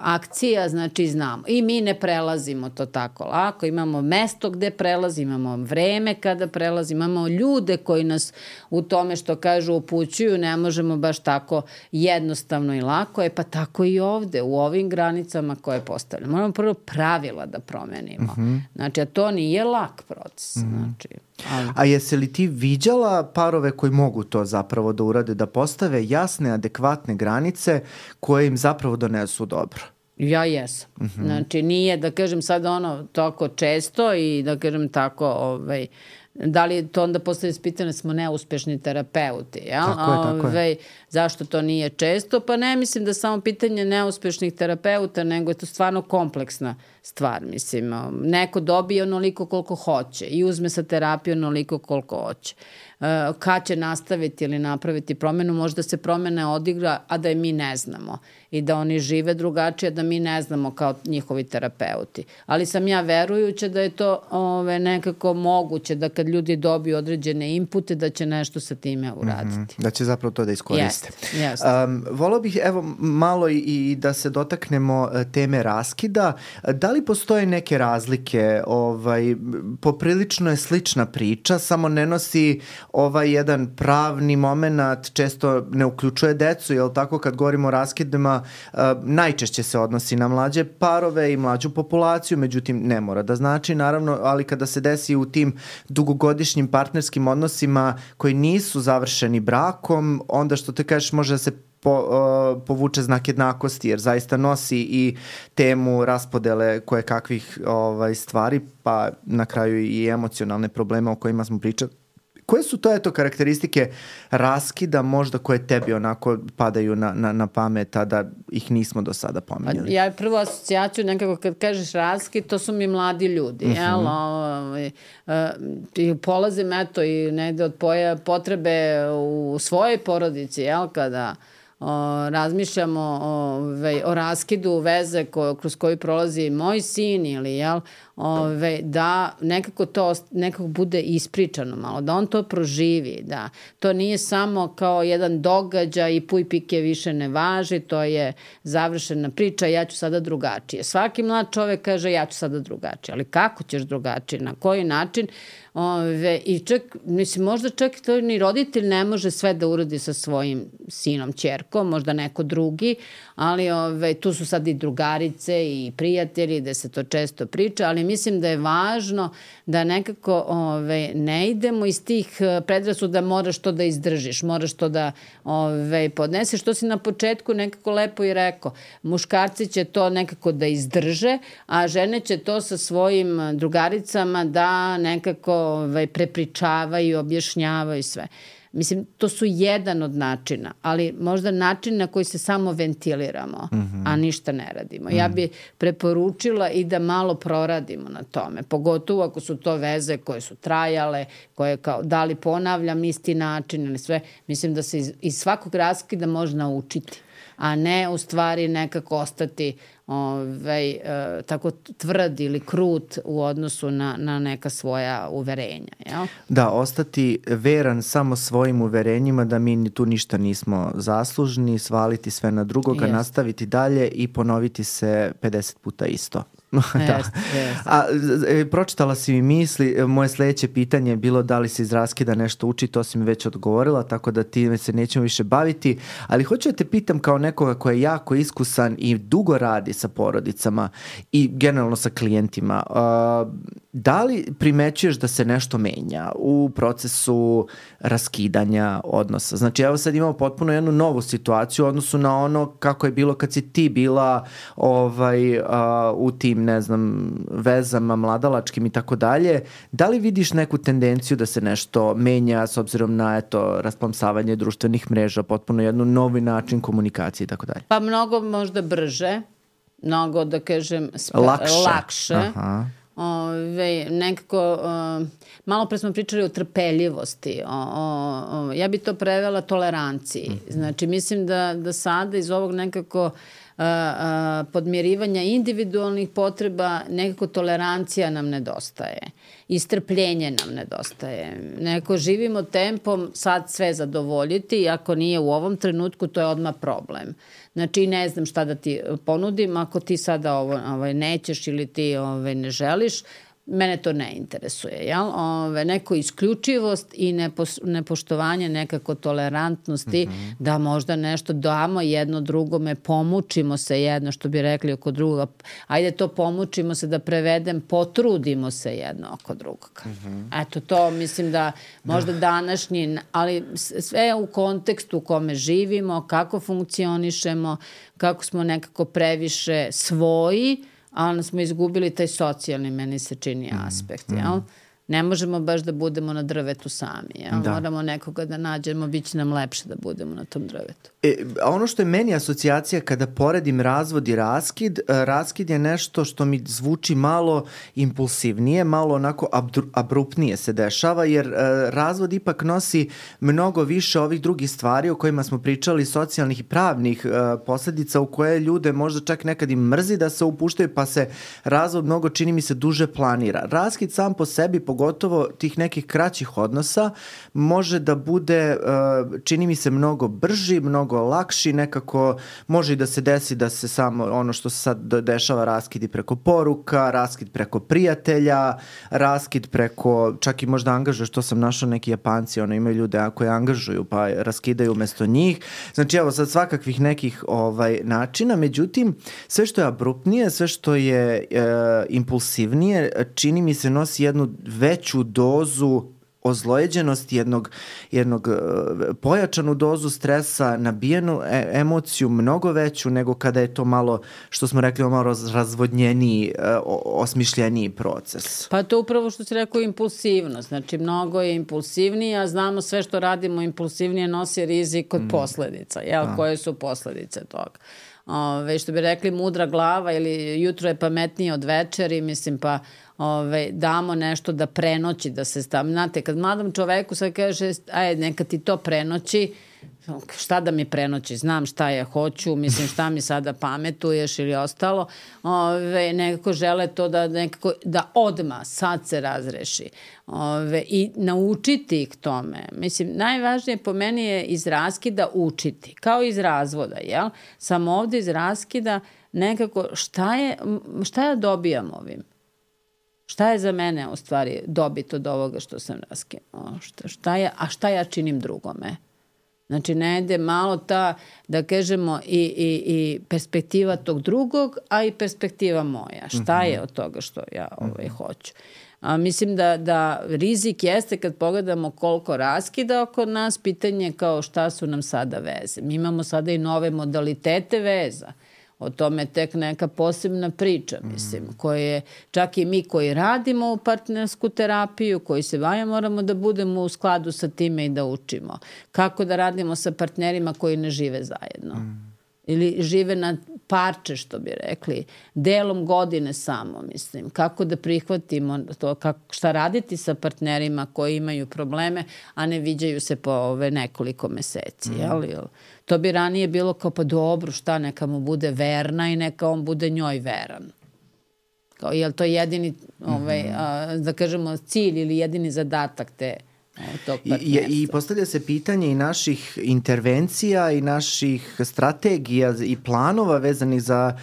[SPEAKER 3] akcija, znači znamo. I mi ne prelazimo to tako lako, imamo mesto gde prelazi, imamo vreme kada prelazi, imamo ljude koji nas u tome što kažu upućuju, ne možemo baš tako jednostavno i lako, je pa tako i ovde, u ovim granicama koje postavljamo. Moramo prvo pravila da promenimo. Mm-hmm. Znači, a to nije lak proces. Mm-hmm. Znači, ali...
[SPEAKER 2] A jesi li ti viđala parove koji mogu to zapravo da urade, da postave jasne, adekvatne granice koje im zapravo donesu dobro?
[SPEAKER 3] Ja jesam. Mm-hmm. Znači, nije, da kažem sad ono, toliko često i da kažem tako, ovaj, da li to onda postavlja pitanje smo neuspešni terapeuti, jel?
[SPEAKER 2] Tako je, tako
[SPEAKER 3] Ove, zašto to nije često? Pa ne mislim da samo pitanje neuspešnih terapeuta, nego je to stvarno kompleksna stvar, mislim. Neko dobije onoliko koliko hoće i uzme sa terapiju onoliko koliko hoće. Kad će nastaviti ili napraviti promenu, možda se promena odigra, a da je mi ne znamo i da oni žive drugačije, da mi ne znamo kao njihovi terapeuti. Ali sam ja verujuća da je to ove, nekako moguće, da kad ljudi dobiju određene inpute, da će nešto sa time uraditi. Mm-hmm.
[SPEAKER 2] Da će zapravo to da iskoriste.
[SPEAKER 3] Jeste, jeste.
[SPEAKER 2] Um, volao bih evo malo i, i da se dotaknemo teme raskida. Da li postoje neke razlike? Ovaj, poprilično je slična priča, samo ne nosi ovaj jedan pravni moment, često ne uključuje decu, jel tako, kad govorimo o raskidima, uh, najčešće se odnosi na mlađe parove i mlađu populaciju, međutim ne mora da znači, naravno, ali kada se desi u tim dugogodišnjim partnerskim odnosima koji nisu završeni brakom, onda što te kažeš može da se Po, uh, povuče znak jednakosti, jer zaista nosi i temu raspodele koje kakvih ovaj, stvari, pa na kraju i emocionalne probleme o kojima smo pričali. Koje su to eto karakteristike raskida možda koje tebi onako padaju na, na, na pamet, a da ih nismo do sada pominjali?
[SPEAKER 3] Ja prvu asocijaciju nekako kad kažeš raskid, to su mi mladi ljudi. Uh-huh. Jel? O, i polazim eto i negde od poja potrebe u svojoj porodici, jel, kada O, razmišljamo o, ve, o raskidu veze ko, kroz koju prolazi moj sin ili jel, ove, da nekako to nekako bude ispričano malo, da on to proživi, da to nije samo kao jedan događaj i puj pike više ne važi, to je završena priča, ja ću sada drugačije. Svaki mlad čovek kaže ja ću sada drugačije, ali kako ćeš drugačije, na koji način? Ove, i čak, mislim, možda čak to ni roditelj ne može sve da uradi sa svojim sinom, ćerkom, možda neko drugi, ali ove, tu su sad i drugarice i prijatelji gde se to često priča, ali mislim da je važno da nekako ove, ne idemo iz tih predrasuda da moraš to da izdržiš, moraš to da ove, podneseš, što si na početku nekako lepo i rekao. Muškarci će to nekako da izdrže, a žene će to sa svojim drugaricama da nekako ovaj, prepričavaju, objašnjavaju sve. Mislim, to su jedan od načina, ali možda način na koji se samo ventiliramo, mm-hmm. a ništa ne radimo. Mm-hmm. Ja bi preporučila i da malo proradimo na tome, pogotovo ako su to veze koje su trajale, koje kao, da li ponavljam isti način ili sve. Mislim da se iz, iz svakog raskida može naučiti, a ne u stvari nekako ostati ovaj, e, tako tvrd ili krut u odnosu na, na neka svoja uverenja. Jel?
[SPEAKER 2] Da, ostati veran samo svojim uverenjima da mi tu ništa nismo zaslužni, svaliti sve na drugoga, yes. nastaviti dalje i ponoviti se pedeset puta isto. da.
[SPEAKER 3] Yes, yes.
[SPEAKER 2] A, pročitala si mi misli, moje sledeće pitanje je bilo da li se iz raskida nešto uči, to si mi već odgovorila, tako da time se nećemo više baviti, ali hoću da te pitam kao nekoga ko je jako iskusan i dugo radi sa porodicama i generalno sa klijentima, uh, da li primećuješ da se nešto menja u procesu raskidanja odnosa? Znači, evo sad imamo potpuno jednu novu situaciju u odnosu na ono kako je bilo kad si ti bila ovaj, uh, u tim, ne znam, vezama mladalačkim i tako dalje. Da li vidiš neku tendenciju da se nešto menja s obzirom na, eto, rasplamsavanje društvenih mreža, potpuno jednu novi način komunikacije i tako dalje?
[SPEAKER 3] Pa mnogo možda brže, mnogo, da kažem, sp-
[SPEAKER 2] lakše.
[SPEAKER 3] lakše.
[SPEAKER 2] Aha.
[SPEAKER 3] Ove, nekako, uh, malo pre smo pričali o trpeljivosti, o, o, o, ja bi to prevela toleranciji. Mm-hmm. Znači, mislim da, da sada iz ovog nekako uh, uh, podmirivanja individualnih potreba, nekako tolerancija nam nedostaje. I strpljenje nam nedostaje. Neko živimo tempom sad sve zadovoljiti i ako nije u ovom trenutku, to je odmah problem. Znači, ne znam šta da ti ponudim, ako ti sada ovo ovaj, nećeš ili ti ovaj, ne želiš, mene to ne interesuje. Jel? Ove, neko isključivost i nepo, nepoštovanje nekako tolerantnosti, mm-hmm. da možda nešto damo jedno drugome, pomučimo se jedno, što bi rekli oko druga. Ajde to pomučimo se da prevedem, potrudimo se jedno oko drugoga. Mm-hmm. Eto to mislim da možda da. današnji, ali sve u kontekstu u kome živimo, kako funkcionišemo, kako smo nekako previše svoji, ali smo izgubili taj socijalni, meni se čini, aspekt, mm, jel? ne možemo baš da budemo na drvetu sami. Ja? Da. Moramo nekoga da nađemo, bit će nam lepše da budemo na tom drvetu.
[SPEAKER 2] E, a ono što je meni asocijacija kada poredim razvod i raskid, raskid je nešto što mi zvuči malo impulsivnije, malo onako abruptnije se dešava, jer razvod ipak nosi mnogo više ovih drugih stvari o kojima smo pričali, socijalnih i pravnih posledica u koje ljude možda čak nekad im mrzi da se upuštaju, pa se razvod mnogo, čini mi se, duže planira. Raskid sam po sebi, pogotovo tih nekih kraćih odnosa, može da bude, čini mi se, mnogo brži, mnogo lakši, nekako može i da se desi da se samo ono što se sad dešava, raskidi preko poruka, raskid preko prijatelja, raskid preko, čak i možda angažuješ, to sam našao, neki Japanci, ono, imaju ljude koje angažuju pa raskidaju umesto njih. Znači evo sad svakakvih nekih ovaj, načina, međutim sve što je abruptnije, sve što je e, impulsivnije, čini mi se nosi jednu veću dozu ozlojeđenosti, jednog, jednog pojačanu dozu stresa, nabijenu e- emociju mnogo veću nego kada je to malo, što smo rekli, malo razvodnjeniji, osmišljeniji proces.
[SPEAKER 3] Pa to upravo što si rekao, impulsivnost. Znači, mnogo je impulsivniji, a znamo sve što radimo impulsivnije nosi rizik od mm. posledica. Jel? A. Koje su posledice toga? Ove, što bi rekli, mudra glava ili jutro je pametnije od večeri, mislim, pa Ove, damo nešto da prenoći, da se stavim. Znate, kad mladom čoveku sad kaže, aj, neka ti to prenoći, šta da mi prenoći, znam šta ja hoću, mislim šta mi sada pametuješ ili ostalo, Ove, nekako žele to da, nekako, da odmah, sad se razreši. Ove, i naučiti ih tome. Mislim, najvažnije po meni je iz raskida učiti, kao iz razvoda, jel? Samo ovde iz raskida nekako šta je, šta ja dobijam ovim? Šta je za mene u stvari dobit od ovoga što sam raskinuo? Šta, šta je, a šta ja činim drugome? Znači, ne ide malo ta, da kažemo, i, i, i perspektiva tog drugog, a i perspektiva moja. Šta je od toga što ja ovaj, hoću? A, mislim da, da rizik jeste kad pogledamo koliko raskida oko nas, pitanje kao šta su nam sada veze. Mi imamo sada i nove modalitete veza. O tome tek neka posebna priča, mislim, mm. koje čak i mi koji radimo u partnersku terapiju, koji se bavimo, moramo da budemo u skladu sa time i da učimo. Kako da radimo sa partnerima koji ne žive zajedno. Mm. Ili žive na parče, što bi rekli, delom godine samo, mislim. Kako da prihvatimo to, kako, šta raditi sa partnerima koji imaju probleme, a ne viđaju se po ove nekoliko meseci, mm. jel? To bi ranije bilo kao, pa dobro, šta, neka mu bude verna i neka on bude njoj veran. Kao, je li to jedini, ovaj, mm-hmm. a, da kažemo, cilj ili jedini zadatak te tog partnerstva?
[SPEAKER 2] I, I postavlja se pitanje i naših intervencija i naših strategija i planova vezanih za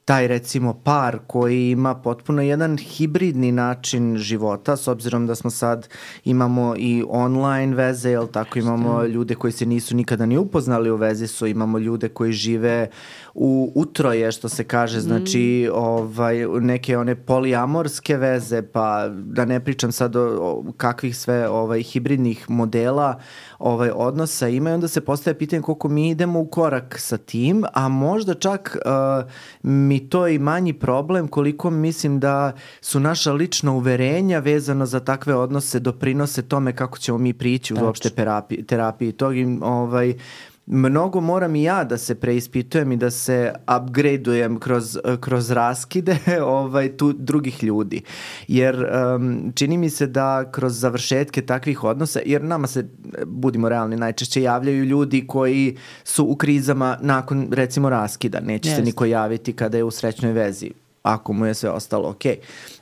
[SPEAKER 2] taj, recimo, par koji ima potpuno jedan hibridni način života, s obzirom da smo sad, imamo i online veze, jel tako, imamo ljude koji se nisu nikada ni upoznali u vezi su, imamo ljude koji žive u utroje, što se kaže, znači, ovaj, neke one poliamorske veze, pa da ne pričam sad o, o kakvih sve ovaj, hibridnih modela ovaj, odnosa ima, i onda se postaje pitanje koliko mi idemo u korak sa tim, a možda čak uh, mi to je i manji problem, koliko mislim da su naša lična uverenja vezano za takve odnose doprinose tome kako ćemo mi prići u uopšte terapiji, terapiji tog i ovaj, mnogo moram i ja da se preispitujem i da se upgradeujem kroz, kroz raskide ovaj, tu, drugih ljudi. Jer um, čini mi se da kroz završetke takvih odnosa, jer nama se, budimo realni, najčešće javljaju ljudi koji su u krizama nakon, recimo, raskida. Neće yes. se niko javiti kada je u srećnoj vezi, ako mu je sve ostalo okej.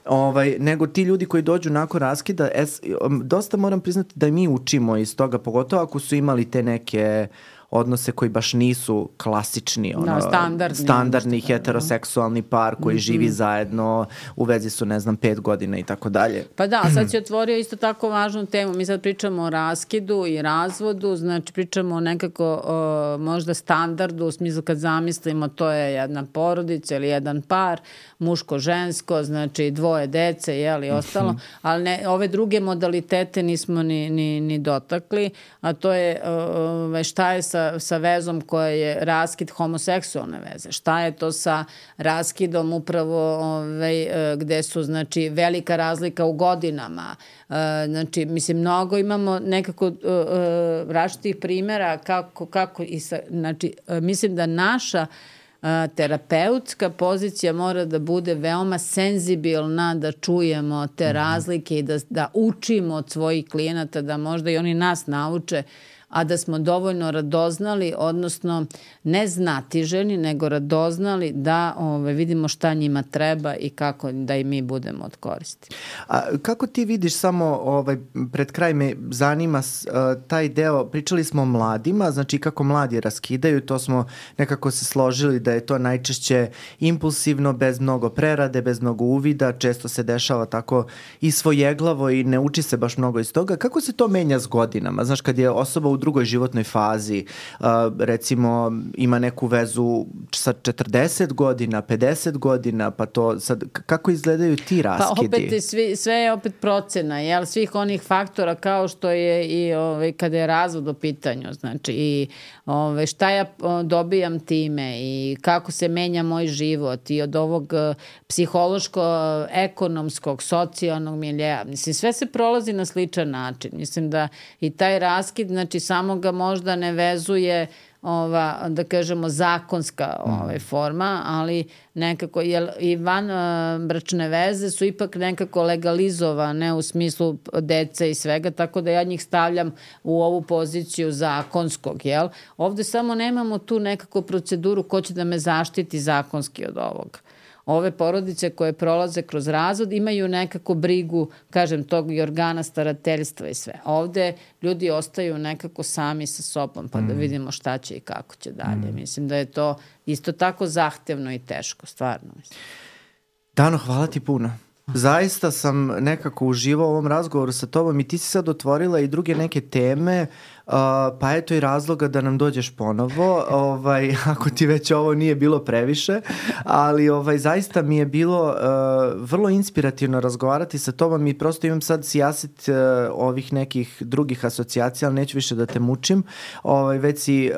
[SPEAKER 2] Ovaj, nego ti ljudi koji dođu nakon raskida, es, dosta moram priznati da mi učimo iz toga, pogotovo ako su imali te neke odnose koji baš nisu klasični, ono,
[SPEAKER 3] no, standardni,
[SPEAKER 2] standardni heteroseksualni par koji mm-hmm. živi zajedno, u vezi su, ne znam, pet godina i tako dalje.
[SPEAKER 3] Pa da, sad si otvorio isto tako važnu temu. Mi sad pričamo o raskidu i razvodu, znači pričamo o nekako o, možda standardu, u smislu kad zamislimo to je jedna porodica ili jedan par, muško-žensko, znači dvoje dece, jeli, ostalo, ali ne, ove druge modalitete nismo ni, ni, ni dotakli, a to je o, šta je sa sa, sa vezom koja je raskid homoseksualne veze? Šta je to sa raskidom upravo ovaj, gde su znači velika razlika u godinama? Znači, mislim, mnogo imamo nekako različitih primjera kako, kako i sa, znači, mislim da naša terapeutska pozicija mora da bude veoma senzibilna, da čujemo te razlike i da, da učimo od svojih klijenata, da možda i oni nas nauče, a da smo dovoljno radoznali, odnosno ne znatiženi, nego radoznali da ove, vidimo šta njima treba i kako da i mi budemo od koristi.
[SPEAKER 2] A kako ti vidiš samo, ovaj, pred kraj me zanima uh, taj deo, pričali smo o mladima, znači kako mladi raskidaju, to smo nekako se složili da je to najčešće impulsivno, bez mnogo prerade, bez mnogo uvida, često se dešava tako i svojeglavo i ne uči se baš mnogo iz toga. Kako se to menja s godinama? Znaš, kad je osoba u drugoj životnoj fazi, uh, recimo ima neku vezu sa četrdeset godina, pedeset godina, pa to sad, kako izgledaju ti raskidi?
[SPEAKER 3] Pa opet svi, sve je opet procena, jel, svih onih faktora kao što je i ovaj, kada je razvod u pitanju, znači i ovaj, šta ja dobijam time i kako se menja moj život i od ovog psihološko-ekonomskog, socijalnog miljeja. Mislim, sve se prolazi na sličan način. Mislim da i taj raskid, znači samo ga možda ne vezuje ova, da kažemo, zakonska ovaj, forma, ali nekako, jer i van uh, bračne veze su ipak nekako legalizovane u smislu dece i svega, tako da ja njih stavljam u ovu poziciju zakonskog, jel? Ovde samo nemamo tu nekako proceduru ko će da me zaštiti zakonski od ovog. Ove porodice koje prolaze kroz razvod imaju nekako brigu, kažem, tog i organa starateljstva i sve. Ovde ljudi ostaju nekako sami sa sobom, pa mm. da vidimo šta će i kako će dalje. Mm. Mislim da je to isto tako zahtevno i teško, stvarno. Mislim.
[SPEAKER 2] Dano, hvala ti puno. Zaista sam nekako uživao u ovom razgovoru sa tobom i ti si sad otvorila i druge neke teme, uh, pa eto i razloga da nam dođeš ponovo, ovaj, ako ti već ovo nije bilo previše, ali ovaj, zaista mi je bilo uh, vrlo inspirativno razgovarati sa tobom i prosto imam sad sijaset uh, ovih nekih drugih asocijacija, ali neću više da te mučim, ovaj, već si uh,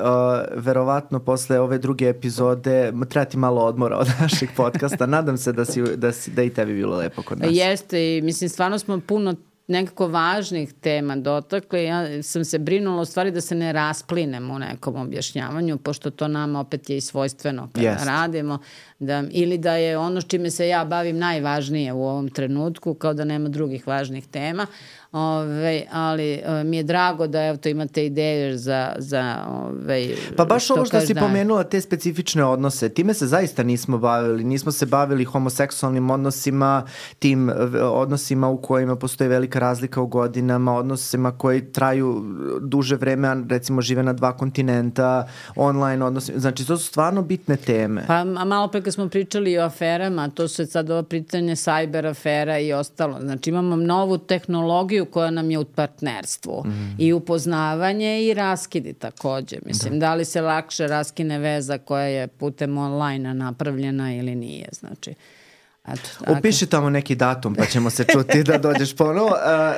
[SPEAKER 2] verovatno posle ove druge epizode treba ti malo odmora od našeg podcasta, nadam se da, si, da, si, da i tebi bilo lepo kod nas.
[SPEAKER 3] Jeste i mislim stvarno smo puno nekako važnih tema dotakli. Ja sam se brinula u stvari da se ne rasplinem u nekom objašnjavanju, pošto to nama opet je i svojstveno kada yes. radimo. Da, ili da je ono s čime se ja bavim najvažnije u ovom trenutku, kao da nema drugih važnih tema. Ove, ali o, mi je drago da evo to imate ideje za, za ove,
[SPEAKER 2] pa baš što ovo što si da... pomenula te specifične odnose, time se zaista nismo bavili, nismo se bavili homoseksualnim odnosima, tim odnosima u kojima postoji velika razlika u godinama, odnosima koji traju duže vreme, a recimo žive na dva kontinenta, online odnosi, znači to su stvarno bitne teme.
[SPEAKER 3] Pa malo pre kad smo pričali o aferama, to su sad ovo pitanje cyber afera i ostalo, znači imamo novu tehnologiju koja nam je u partnerstvu mm. i upoznavanje i raskidi takođe. Mislim, da. da li se lakše raskine veza koja je putem online napravljena ili nije, znači. Eto,
[SPEAKER 2] upiši tamo neki datum pa ćemo se čuti da dođeš ponovo. Uh,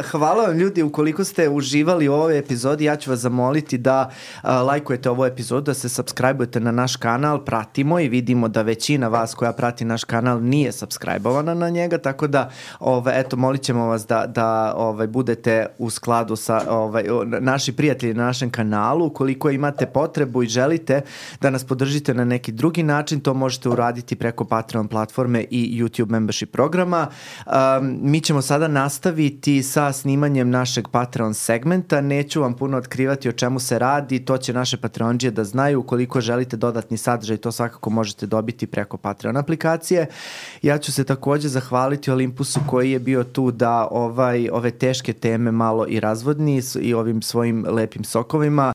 [SPEAKER 2] hvala vam ljudi, ukoliko ste uživali u ovoj epizodi, ja ću vas zamoliti da uh, lajkujete ovu epizodu, da se subscribe-ujete na naš kanal, pratimo i vidimo da većina vas koja prati naš kanal nije subscribe-ovana na njega, tako da ovaj, eto, molit ćemo vas da, da ovaj, budete u skladu sa ovaj, naši prijatelji na našem kanalu. Ukoliko imate potrebu i želite da nas podržite na neki drugi način, to možete uraditi preko Patreon platforme i YouTube membership programa. Um, mi ćemo sada nastaviti sa snimanjem našeg Patreon segmenta. Neću vam puno otkrivati o čemu se radi, to će naše Patreonđije da znaju. Ukoliko želite dodatni sadržaj, to svakako možete dobiti preko Patreon aplikacije. Ja ću se takođe zahvaliti Olympusu koji je bio tu da ovaj, ove teške teme malo i razvodni i ovim svojim lepim sokovima.